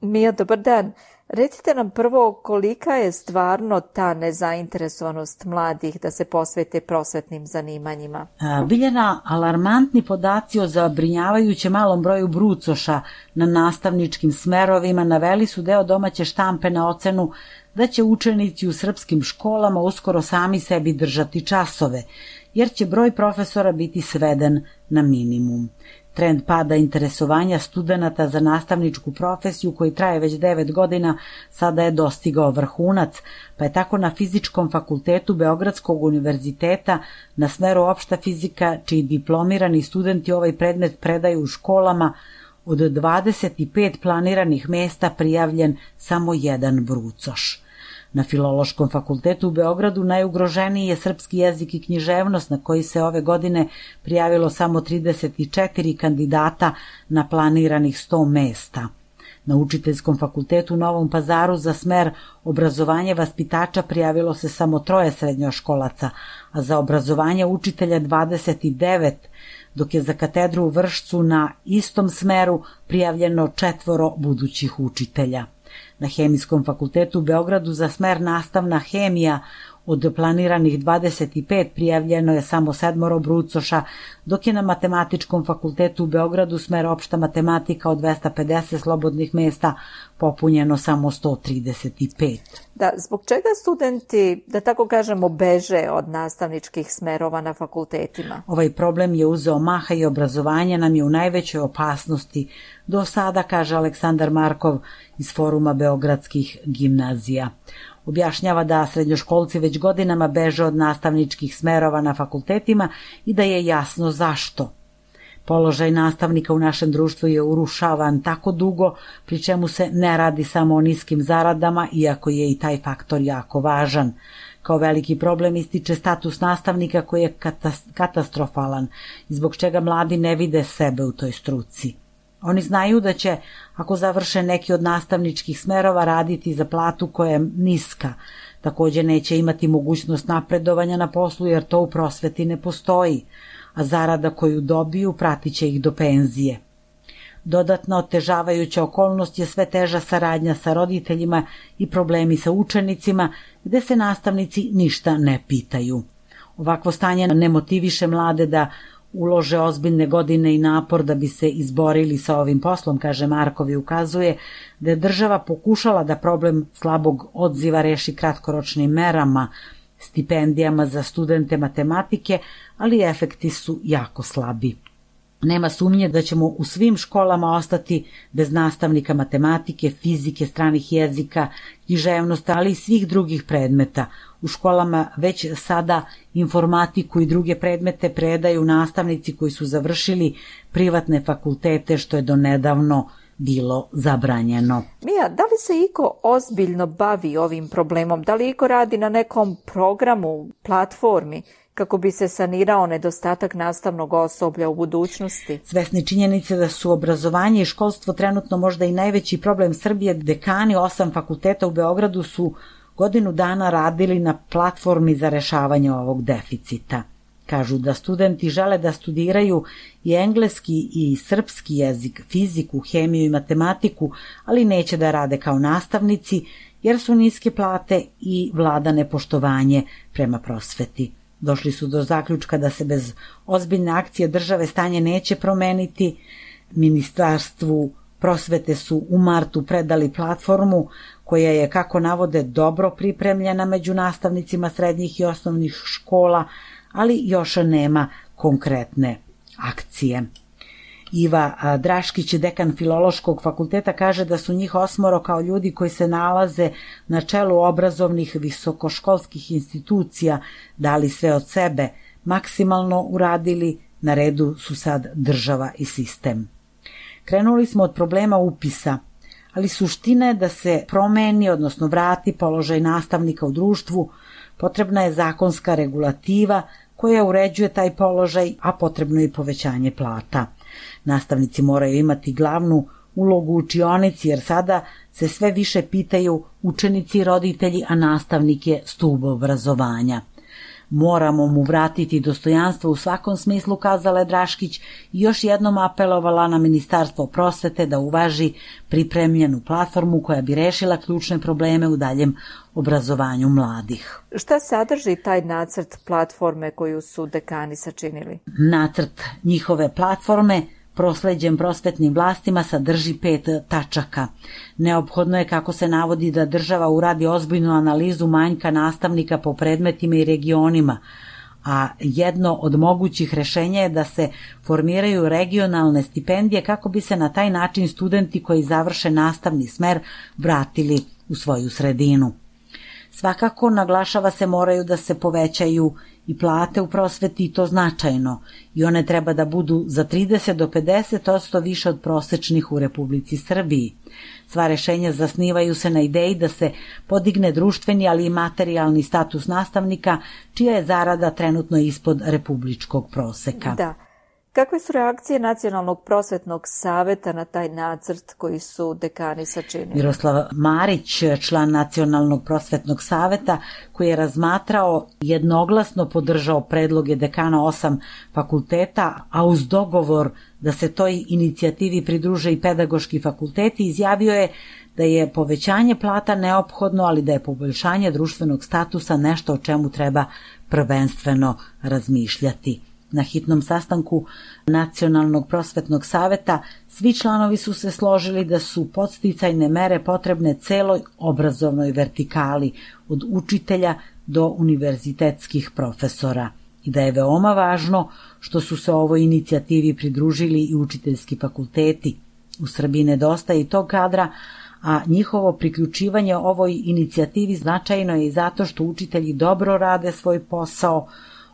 Mija, dobar dan. Recite nam prvo kolika je stvarno ta nezainteresovanost mladih da se posvete prosvetnim zanimanjima? Biljana, alarmantni podaci o zabrinjavajuće malom broju brucoša na nastavničkim smerovima naveli su deo domaće štampe na ocenu da će učenici u srpskim školama uskoro sami sebi držati časove, jer će broj profesora biti sveden na minimum. Trend pada interesovanja studenata za nastavničku profesiju, koji traje već devet godina, sada je dostigao vrhunac, pa je tako na Fizičkom fakultetu Beogradskog univerziteta na smeru opšta fizika, čiji diplomirani studenti ovaj predmet predaju u školama, od dvadeset pet planiranih mesta prijavljen samo jedan brucoš. Na Filološkom fakultetu u Beogradu najugroženiji je srpski jezik i književnost, na koji se ove godine prijavilo samo trideset četiri kandidata na planiranih sto mesta. Na Učiteljskom fakultetu u Novom Pazaru za smer obrazovanje vaspitača prijavilo se samo troje srednjoškolaca, a za obrazovanje učitelja dvadeset devet, dok je za katedru u Vršcu na istom smeru prijavljeno četvoro budućih učitelja. Na Hemijskom fakultetu u Beogradu za smer nastavna hemija od planiranih dvadeset pet prijavljeno je samo sedmoro brucoša, dok je na Matematičkom fakultetu u Beogradu smer opšta matematika od dvesta pedeset slobodnih mesta popunjeno samo sto trideset pet. Da, zbog čega studenti, da tako kažemo, beže od nastavničkih smerova na fakultetima? Ovaj problem je uzeo maha i obrazovanje nam je u najvećoj opasnosti do sada, kaže Aleksandar Markov iz Foruma beogradskih gimnazija. Objašnjava da srednjoškolci već godinama beže od nastavničkih smerova na fakultetima i da je jasno zašto. Položaj nastavnika u našem društvu je urušavan tako dugo, pri čemu se ne radi samo o niskim zaradama, iako je i taj faktor jako važan. Kao veliki problem ističe status nastavnika koji je katastrofalan, zbog čega mladi ne vide sebe u toj struci. Oni znaju da će, ako završe neki od nastavničkih smerova, raditi za platu koja je niska. Također neće imati mogućnost napredovanja na poslu jer to u prosveti ne postoji, a zarada koju dobiju pratit će ih do penzije. Dodatna otežavajuća okolnost je sve teža saradnja sa roditeljima i problemi sa učenicima, gde se nastavnici ništa ne pitaju. Ovakvo stanje ne motiviše mlade da ulože ozbiljne godine i napor da bi se izborili sa ovim poslom, kaže Markov, i ukazuje da je država pokušala da problem slabog odziva reši kratkoročnim merama, stipendijama za studente matematike, ali efekti su jako slabi. Nema sumnje da ćemo u svim školama ostati bez nastavnika matematike, fizike, stranih jezika, književnosti, ali i svih drugih predmeta. U školama već sada informatiku i druge predmete predaju nastavnici koji su završili privatne fakultete, što je donedavno bilo zabranjeno. Mija, da li se iko ozbiljno bavi ovim problemom? Da li iko radi na nekom programu, platformi, kako bi se sanirao nedostatak nastavnog osoblja u budućnosti? Svesni činjenice da su obrazovanje i školstvo trenutno možda i najveći problem Srbije, dekani osam fakulteta u Beogradu su godinu dana radili na platformi za rešavanje ovog deficita. Kažu da studenti žele da studiraju i engleski i srpski jezik, fiziku, hemiju i matematiku, ali neće da rade kao nastavnici jer su niske plate i vlada nepoštovanje prema prosveti. Došli su do zaključka da se bez ozbiljne akcije države stanje neće promeniti. Ministarstvu prosvete su u martu predali platformu koja je, kako navode, dobro pripremljena među nastavnicima srednjih i osnovnih škola, ali još nema konkretne akcije. Iva Draškić, dekan Filološkog fakulteta, kaže da su njih osmoro kao ljudi koji se nalaze na čelu obrazovnih visokoškolskih institucija dali sve od sebe, maksimalno uradili, na redu su sad država i sistem. Krenuli smo od problema upisa, ali suština je da se promeni, odnosno vrati položaj nastavnika u društvu. Potrebna je zakonska regulativa koja uređuje taj položaj, a potrebno je i povećanje plata. Nastavnici moraju imati glavnu ulogu u učionici, jer sada se sve više pitaju učenici i roditelji, a nastavnik je stub obrazovanja. Moramo mu vratiti dostojanstvo u svakom smislu, kazala je Draškić i još jednom apelovala na Ministarstvo prosvete da uvaži pripremljenu platformu koja bi rešila ključne probleme u daljem obrazovanju mladih. Šta sadrži taj nacrt platforme koju su dekani sačinili? Nacrt njihove platforme prosleđen prosvetnim vlastima sadrži pet tačaka. Neophodno je, kako se navodi, da država uradi ozbiljnu analizu manjka nastavnika po predmetima i regionima, a jedno od mogućih rešenja je da se formiraju regionalne stipendije kako bi se na taj način studenti koji završe nastavni smer vratili u svoju sredinu. Svakako, naglašava se, moraju da se povećaju i plate u prosveti, i to značajno, i one treba da budu za trideset do pedeset posto više od prosečnih u Republici Srbiji. Sva rešenja zasnivaju se na ideji da se podigne društveni, ali i materijalni status nastavnika, čija je zarada trenutno ispod republičkog proseka. Da. Kakve su reakcije Nacionalnog prosvetnog saveta na taj nacrt koji su dekani sačinili? Miroslav Marić, član Nacionalnog prosvetnog saveta, koji je razmatrao, jednoglasno podržao predloge dekana osam fakulteta, a uz dogovor da se toj inicijativi pridruže i pedagoški fakulteti, izjavio je da je povećanje plata neophodno, ali da je poboljšanje društvenog statusa nešto o čemu treba prvenstveno razmišljati. Na hitnom sastanku Nacionalnog prosvetnog saveta svi članovi su se složili da su podsticajne mere potrebne celoj obrazovnoj vertikali, od učitelja do univerzitetskih profesora, i da je veoma važno što su se ovoj inicijativi pridružili i učiteljski fakulteti. U Srbiji nedostaje i tog kadra, a njihovo priključivanje ovoj inicijativi značajno je i zato što učitelji dobro rade svoj posao,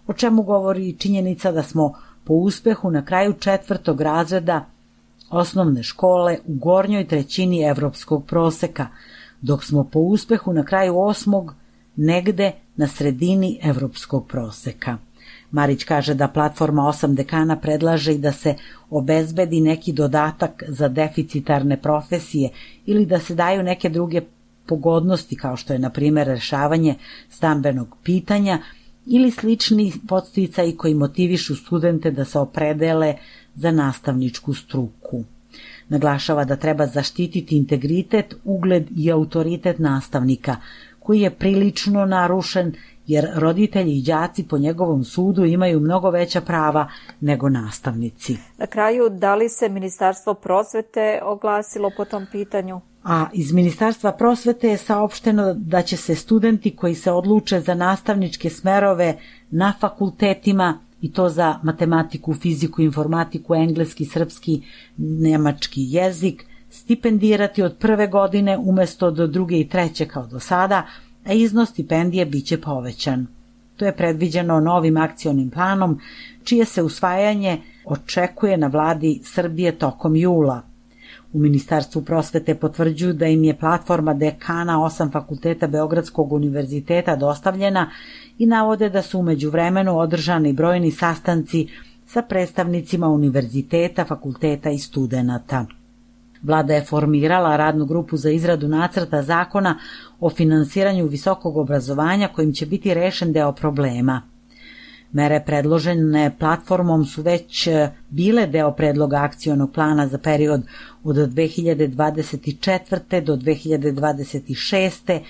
o čemu govori i činjenica da smo po uspehu na kraju četvrtog razreda osnovne škole u gornjoj trećini evropskog proseka, dok smo po uspehu na kraju osmog negde na sredini evropskog proseka. Marić kaže da platforma osam dekana predlaže i da se obezbedi neki dodatak za deficitarne profesije ili da se daju neke druge pogodnosti, kao što je na primjer rešavanje stambenog pitanja ili slični podsticaji koji motivišu studente da se opredele za nastavničku struku. Naglašava da treba zaštititi integritet, ugled i autoritet nastavnika, koji je prilično narušen jer roditelji i đaci po njegovom sudu imaju mnogo veća prava nego nastavnici. Na kraju, da li se Ministarstvo prosvete oglasilo po tom pitanju? A iz Ministarstva prosvete je saopšteno da će se studenti koji se odluče za nastavničke smerove na fakultetima, i to za matematiku, fiziku, informatiku, engleski, srpski, nemački jezik, stipendirati od prve godine umesto do druge i treće kao do sada, a iznos stipendije biće povećan. To je predviđeno novim akcionim planom, čije se usvajanje očekuje na vladi Srbije tokom jula. U Ministarstvu prosvete potvrđuju da im je platforma dekana osam fakulteta Beogradskog univerziteta dostavljena i navode da su u međuvremenu održani brojni sastanci sa predstavnicima univerziteta, fakulteta i studenata. Vlada je formirala radnu grupu za izradu nacrta zakona o finansiranju visokog obrazovanja kojim će biti rešen deo problema. Mere predložene platformom su već bile deo predloga akcionog plana za period od dve hiljade dvadeset četvrte do dve hiljade dvadeset šeste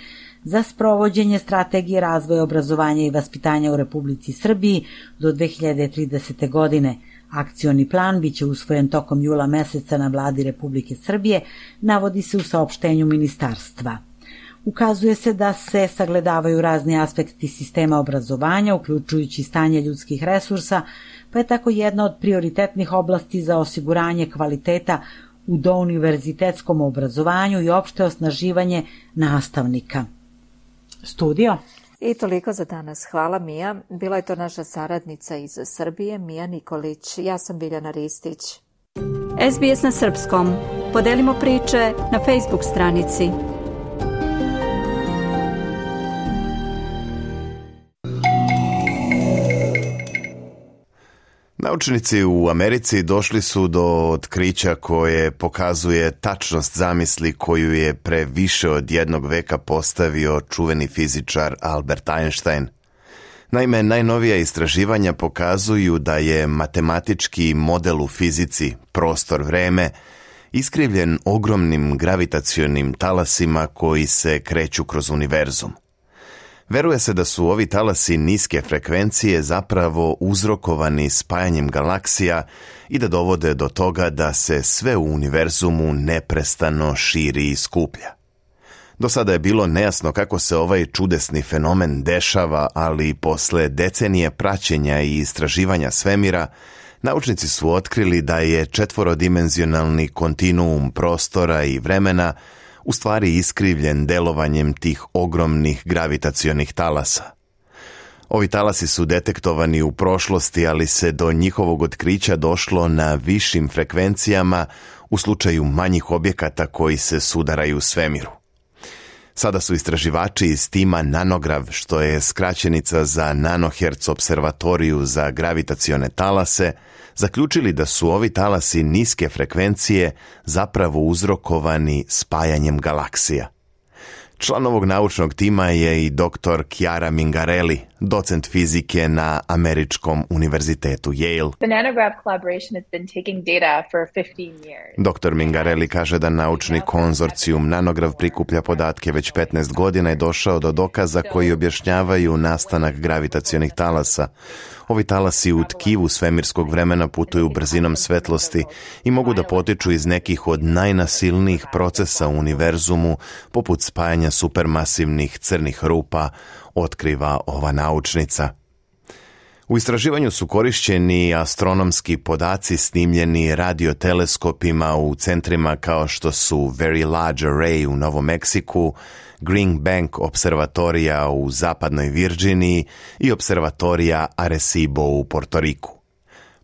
za sprovođenje strategije razvoja obrazovanja i vaspitanja u Republici Srbiji do dve hiljade tridesete. godine. Akcioni plan biće usvojen tokom jula meseca na vladi Republike Srbije, navodi se u saopštenju ministarstva. Ukazuje se da se sagledavaju razni aspekti sistema obrazovanja, uključujući stanje ljudskih resursa, pa je tako jedna od prioritetnih oblasti za osiguranje kvaliteta u douniverzitetskom obrazovanju i opšte osnaživanje nastavnika. Studio. I toliko za danas. Hvala, Mija. Bila je to naša saradnica iz Srbije, Mija Nikolić. Ja sam Biljana Ristić. S B S na srpskom. Podelimo priče na Facebook stranici. Naučnici u Americi došli su do otkrića koje pokazuje tačnost zamisli koju je pre više od jednog veka postavio čuveni fizičar Albert Einstein. Naime, najnovija istraživanja pokazuju da je matematički model u fizici, prostor-vreme, iskrivljen ogromnim gravitacionim talasima koji se kreću kroz univerzum. Veruje se da su ovi talasi niske frekvencije zapravo uzrokovani spajanjem galaksija i da dovode do toga da se sve u univerzumu neprestano širi i skuplja. Do sada je bilo nejasno kako se ovaj čudesni fenomen dešava, ali posle decenije praćenja i istraživanja svemira, naučnici su otkrili da je četvorodimenzionalni kontinuum prostora i vremena u stvari iskrivljen delovanjem tih ogromnih gravitacionih talasa. Ovi talasi su detektovani u prošlosti, ali se do njihovog otkrića došlo na višim frekvencijama u slučaju manjih objekata koji se sudaraju u svemiru. Sada su istraživači iz tima Nanograv, što je skraćenica za Nanohertz observatoriju za gravitacione talase, zaključili da su ovi talasi niske frekvencije zapravo uzrokovani spajanjem galaksija. Član ovog naučnog tima je i doktor Chiara Mingarelli, docent fizike na Američkom univerzitetu Yale. The Nanograv collaboration has been taking data for fifteen years. doktor Mingarelli kaže da naučni konzorcijum Nanograv prikuplja podatke već petnaest godina i došao do dokaza koji objašnjavaju nastanak gravitacionih talasa. Ovi talasi u tkivu svemirskog vremena putuju brzinom svetlosti i mogu da potiču iz nekih od najnasilnijih procesa u univerzumu, poput spajanja supermasivnih crnih rupa, otkriva ova naučnica. U istraživanju su korišćeni astronomski podaci snimljeni radioteleskopima u centrima kao što su Very Large Array u Novom Meksiku, Green Bank observatorija u zapadnoj Virginiji i observatorija Arecibo u Portoriku.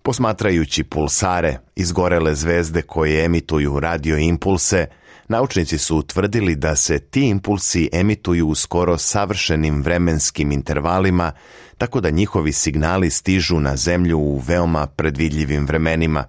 Posmatrajući pulsare, izgorele zvezde koje emituju radioimpulse, naučnici su utvrdili da se ti impulsi emituju u skoro savršenim vremenskim intervalima, tako da njihovi signali stižu na Zemlju u veoma predvidljivim vremenima.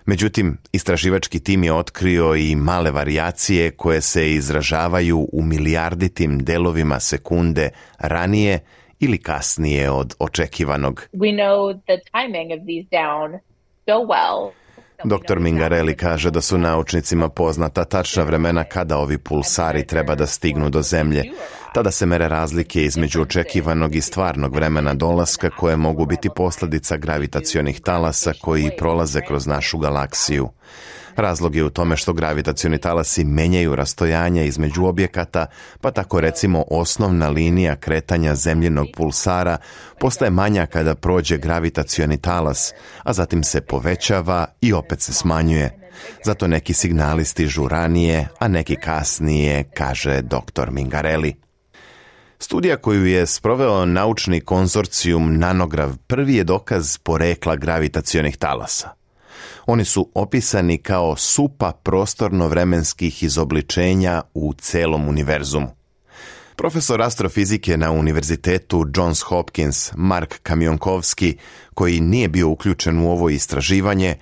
Međutim, istraživački tim je otkrio i male varijacije koje se izražavaju u milijarditim delovima sekunde ranije ili kasnije od očekivanog. We know the timing of these down so well. doktor Mingarelli kaže da su naučnicima poznata tačna vremena kada ovi pulsari treba da stignu do Zemlje. Tada se mere razlike između očekivanog i stvarnog vremena dolaska koje mogu biti posljedica gravitacionih talasa koji prolaze kroz našu galaksiju. Razlog je u tome što gravitacioni talasi menjaju rastojanja između objekata, pa tako recimo osnovna linija kretanja zemljinog pulsara postaje manja kada prođe gravitacioni talas, a zatim se povećava i opet se smanjuje. Zato neki signali stižu ranije, a neki kasnije, kaže doktor Mingarelli. Studija koju je sproveo naučni konzorcijum Nanograv prvi je dokaz porekla gravitacionih talasa. Oni su opisani kao supa prostorno-vremenskih izobličenja u celom univerzumu. Profesor astrofizike na univerzitetu Johns Hopkins, Mark Kamionkovski, koji nije bio uključen u ovo istraživanje,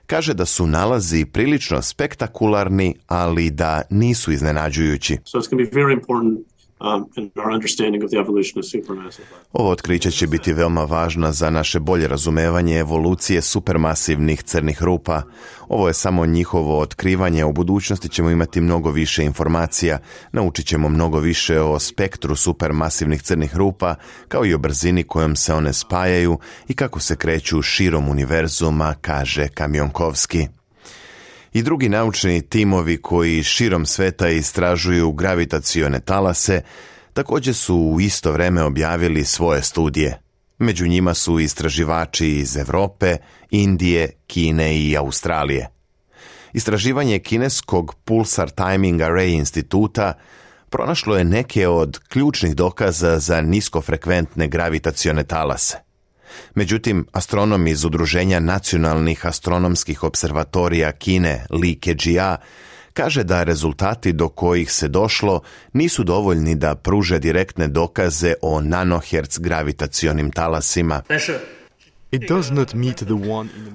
kaže da su nalazi prilično spektakularni, ali da nisu iznenađujući. So it's going to be very important Um, in our understanding of the evolution of supermassive black holes. Ovo otkriće će biti veoma važno za naše bolje razumevanje evolucije supermasivnih crnih rupa. Ovo je samo njihovo otkrivanje, u budućnosti ćemo imati mnogo više informacija, naučit ćemo mnogo više o spektru supermasivnih crnih rupa, kao i o brzini kojom se one spajaju i kako se kreću širom univerzuma, kaže Kamionkovski. I drugi naučni timovi koji širom sveta istražuju gravitacione talase također su u isto vreme objavili svoje studije. Među njima su istraživači iz Europe, Indije, Kine i Australije. Istraživanje kineskog Pulsar Timing Array instituta pronašlo je neke od ključnih dokaza za niskofrekventne gravitacione talase. Međutim, astronom iz Udruženja nacionalnih astronomskih observatorija Kine, Li Kejia, kaže da rezultati do kojih se došlo nisu dovoljni da pruže direktne dokaze o nanohertz gravitacionim talasima.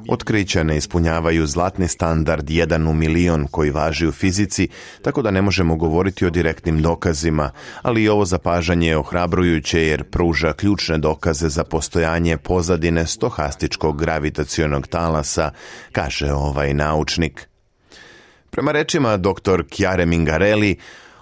Otkrića ne ispunjavaju zlatni standard jedan u milion koji važi u fizici, tako da ne možemo govoriti o direktnim dokazima, ali i ovo zapažanje je ohrabrujuće jer pruža ključne dokaze za postojanje pozadine stohastičkog gravitacionog talasa, kaže ovaj naučnik. Prema rečima doktor Chiare Mingarelli,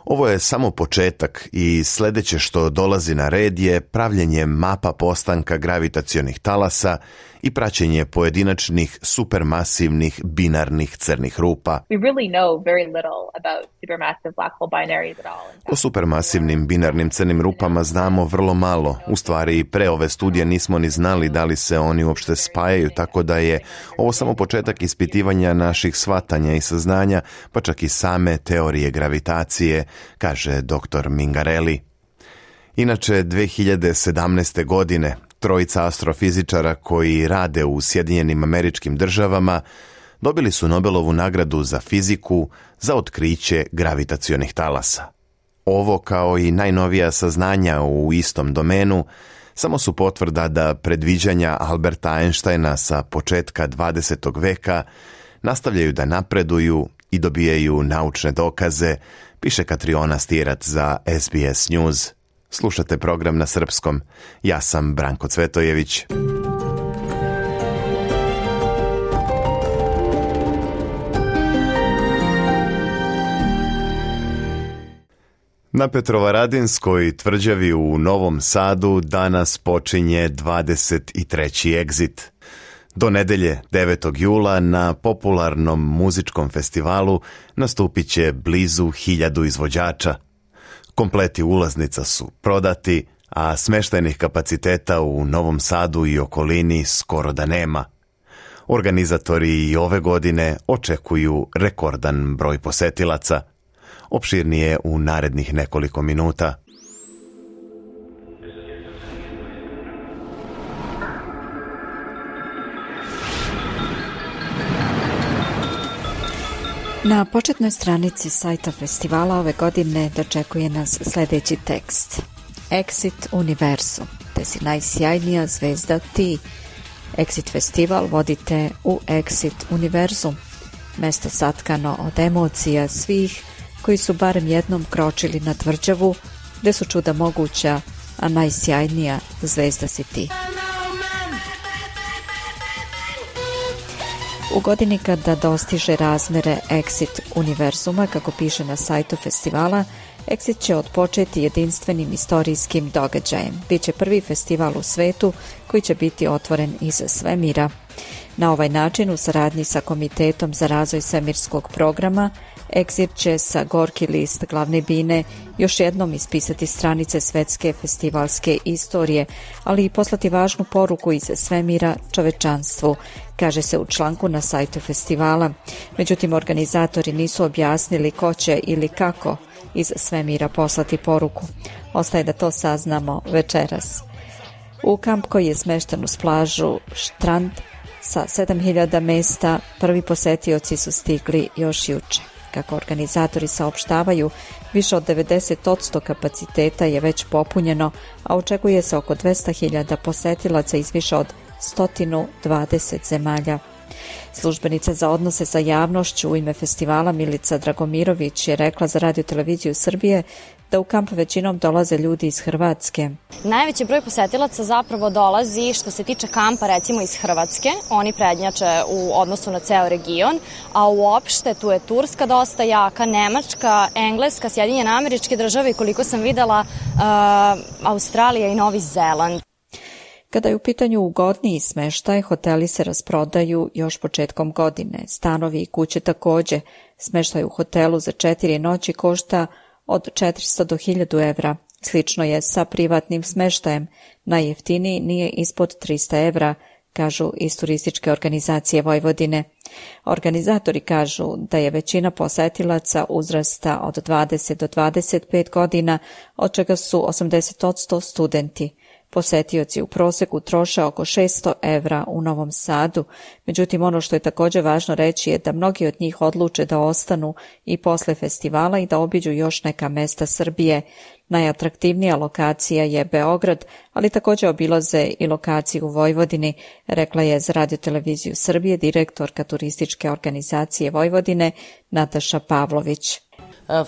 ovo je samo početak i sljedeće što dolazi na red je pravljenje mapa postanka gravitacionih talasa i praćenje pojedinačnih supermasivnih binarnih crnih rupa. We really know very little about supermassive black hole binaries at all. O supermasivnim binarnim crnim rupama znamo vrlo malo. U stvari, pre ove studije nismo ni znali da li se oni uopšte spajaju, tako da je ovo samo početak ispitivanja naših shvatanja i saznanja, pa čak i same teorije gravitacije, kaže doktor Mingarelli. Inače, dve hiljade sedamnaeste. godine trojica astrofizičara koji rade u Sjedinjenim Američkim Državama dobili su Nobelovu nagradu za fiziku za otkriće gravitacionih talasa. ovo kao i najnovija saznanja u istom domenu samo su potvrda da predviđanja Alberta Einsteina sa početka dvadesetog veka nastavljaju da napreduju i dobijaju naučne dokaze, piše Katriona Stirat za S B S News. Slušate program na srpskom. Ja sam Branko Cvetojević. Na Petrovaradinskoj tvrđavi u Novom Sadu danas počinje dvadeset treći egzit. Do nedelje devetog jula na popularnom muzičkom festivalu nastupit će blizu hiljadu izvođača. Kompleti ulaznica su prodati, a smeštajnih kapaciteta u Novom Sadu i okolini skoro da nema. Organizatori i ove godine očekuju rekordan broj posetilaca. Opširnije u narednih nekoliko minuta. Na početnoj stranici sajta festivala ove godine dočekuje nas sljedeći tekst. Exit Univerzum, te si najsjajnija zvezda ti. Exit festival vodite u Exit Univerzum, mesto satkano od emocija svih koji su barem jednom kročili na tvrđavu, gde su čuda moguća, a najsjajnija zvezda si ti. U godini kada dostiže razmere Exit Univerzuma, kako piše na sajtu festivala, Exit će odpočeti jedinstvenim istorijskim događajem. Biće prvi festival u svetu koji će biti otvoren iz svemira. Na ovaj način, u saradnji sa Komitetom za razvoj svemirskog programa, Exit će sa gorki list glavne bine još jednom ispisati stranice svetske festivalske istorije, ali i poslati važnu poruku iz svemira čovečanstvu, kaže se u članku na sajtu festivala. Međutim, organizatori nisu objasnili ko će ili kako iz svemira poslati poruku. Ostaje da to saznamo večeras. U kamp koji je smešten uz plažu Štrand sa sedam hiljada mesta, prvi posetioci su stigli još juče. Kako organizatori saopštavaju, više od devedeset posto kapaciteta je već popunjeno, a očekuje se oko dvesta hiljada posetilaca iz više od sto dvadeset zemalja. Službenica za odnose sa javnošću u ime festivala Milica Dragomirović je rekla za Radio Televiziju Srbije da u kamp većinom dolaze ljudi iz Hrvatske. Najveći broj posetilaca zapravo dolazi što se tiče kampa recimo iz Hrvatske. Oni prednjače u odnosu na ceo region, a uopšte tu je Turska dosta jaka, Nemačka, Engleska, Sjedinjene Američke Države i koliko sam videla uh, Australija i Novi Zeland. Kada je u pitanju ugodniji smeštaj, hoteli se rasprodaju još početkom godine. Stanovi i kuće također. Smeštaj u hotelu za četiri noći košta od četiristo do hiljadu evra. Slično je sa privatnim smeštajem. Najjeftiniji nije ispod trista evra, kažu iz turističke organizacije Vojvodine. Organizatori kažu da je većina posetilaca uzrasta od dvadeset do dvadeset pet godina, od čega su osamdeset posto studenti. Posetioci u proseku troše oko šesto evra u Novom Sadu, međutim ono što je također važno reći je da mnogi od njih odluče da ostanu i posle festivala i da obiđu još neka mesta Srbije. Najatraktivnija lokacija je Beograd, ali također obilaze i lokaciju u Vojvodini, rekla je za Radio Televiziju Srbije direktorka turističke organizacije Vojvodine Nataša Pavlović.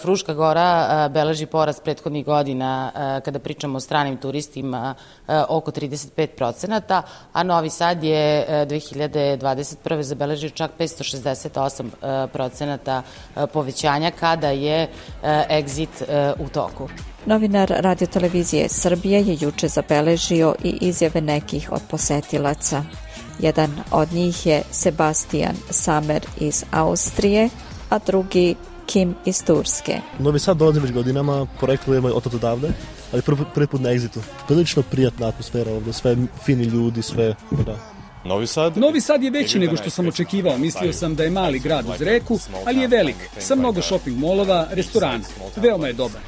Fruška Gora beleži porast prethodnih godina kada pričamo o stranim turistima oko trideset pet procenata, a Novi Sad je dve hiljade dvadeset prve zabeležio čak petsto šezdeset osam procenata povećanja kada je Exit u toku. Novinar Radio Televizije Srbije je juče zabeležio i izjave nekih od posetilaca. Jedan od njih je Sebastian Samer iz Austrije, a drugi Kim iz Turske. Novi Sad dolazim već godinama, poreklo je od odavde, ali prvi, prvi put na Exitu. Prilično prijatna atmosfera ovdje, sve fini ljudi, sve... Da. Novi Sad? Novi Sad je veći nego što sam očekivao. Mislio sam da je mali grad uz reku, ali je velik, sa mnogo shopping molova, restorana. Veoma je dobar.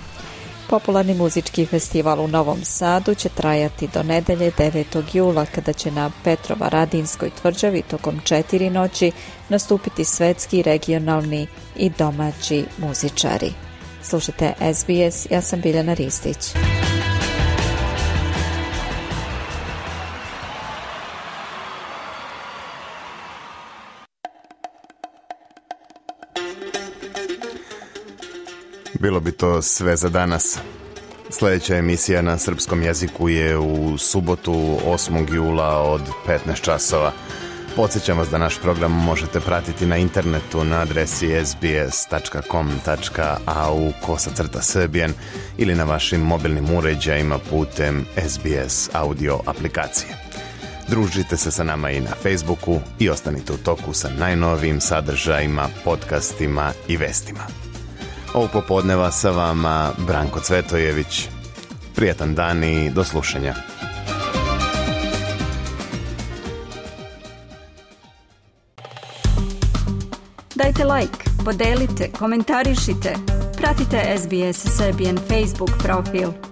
Popularni muzički festival u Novom Sadu će trajati do nedelje devetog jula, kada će na Petrovaradinskoj tvrđavi tokom četiri noći nastupiti svetski, regionalni i domaći muzičari. Slušajte S B S, ja sam Biljana Ristić. Bilo bi to sve za danas. Sljedeća emisija na srpskom jeziku je u subotu osmog jula od petnaest časova. Podsjećam vas da naš program možete pratiti na internetu na adresi s b s tačka com tačka a u kosacrta srbijan ili na vašim mobilnim uređajima putem S B S audio aplikacije. Družite se sa nama i na Facebooku i ostanite u toku sa najnovijim sadržajima, podcastima i vestima. Ovog popodneva sa vama Branko Cvetojević. Prijatan dan i do slušanja. Dajte like, podelite, komentarišite. Pratite S B S Serbian Facebook profil.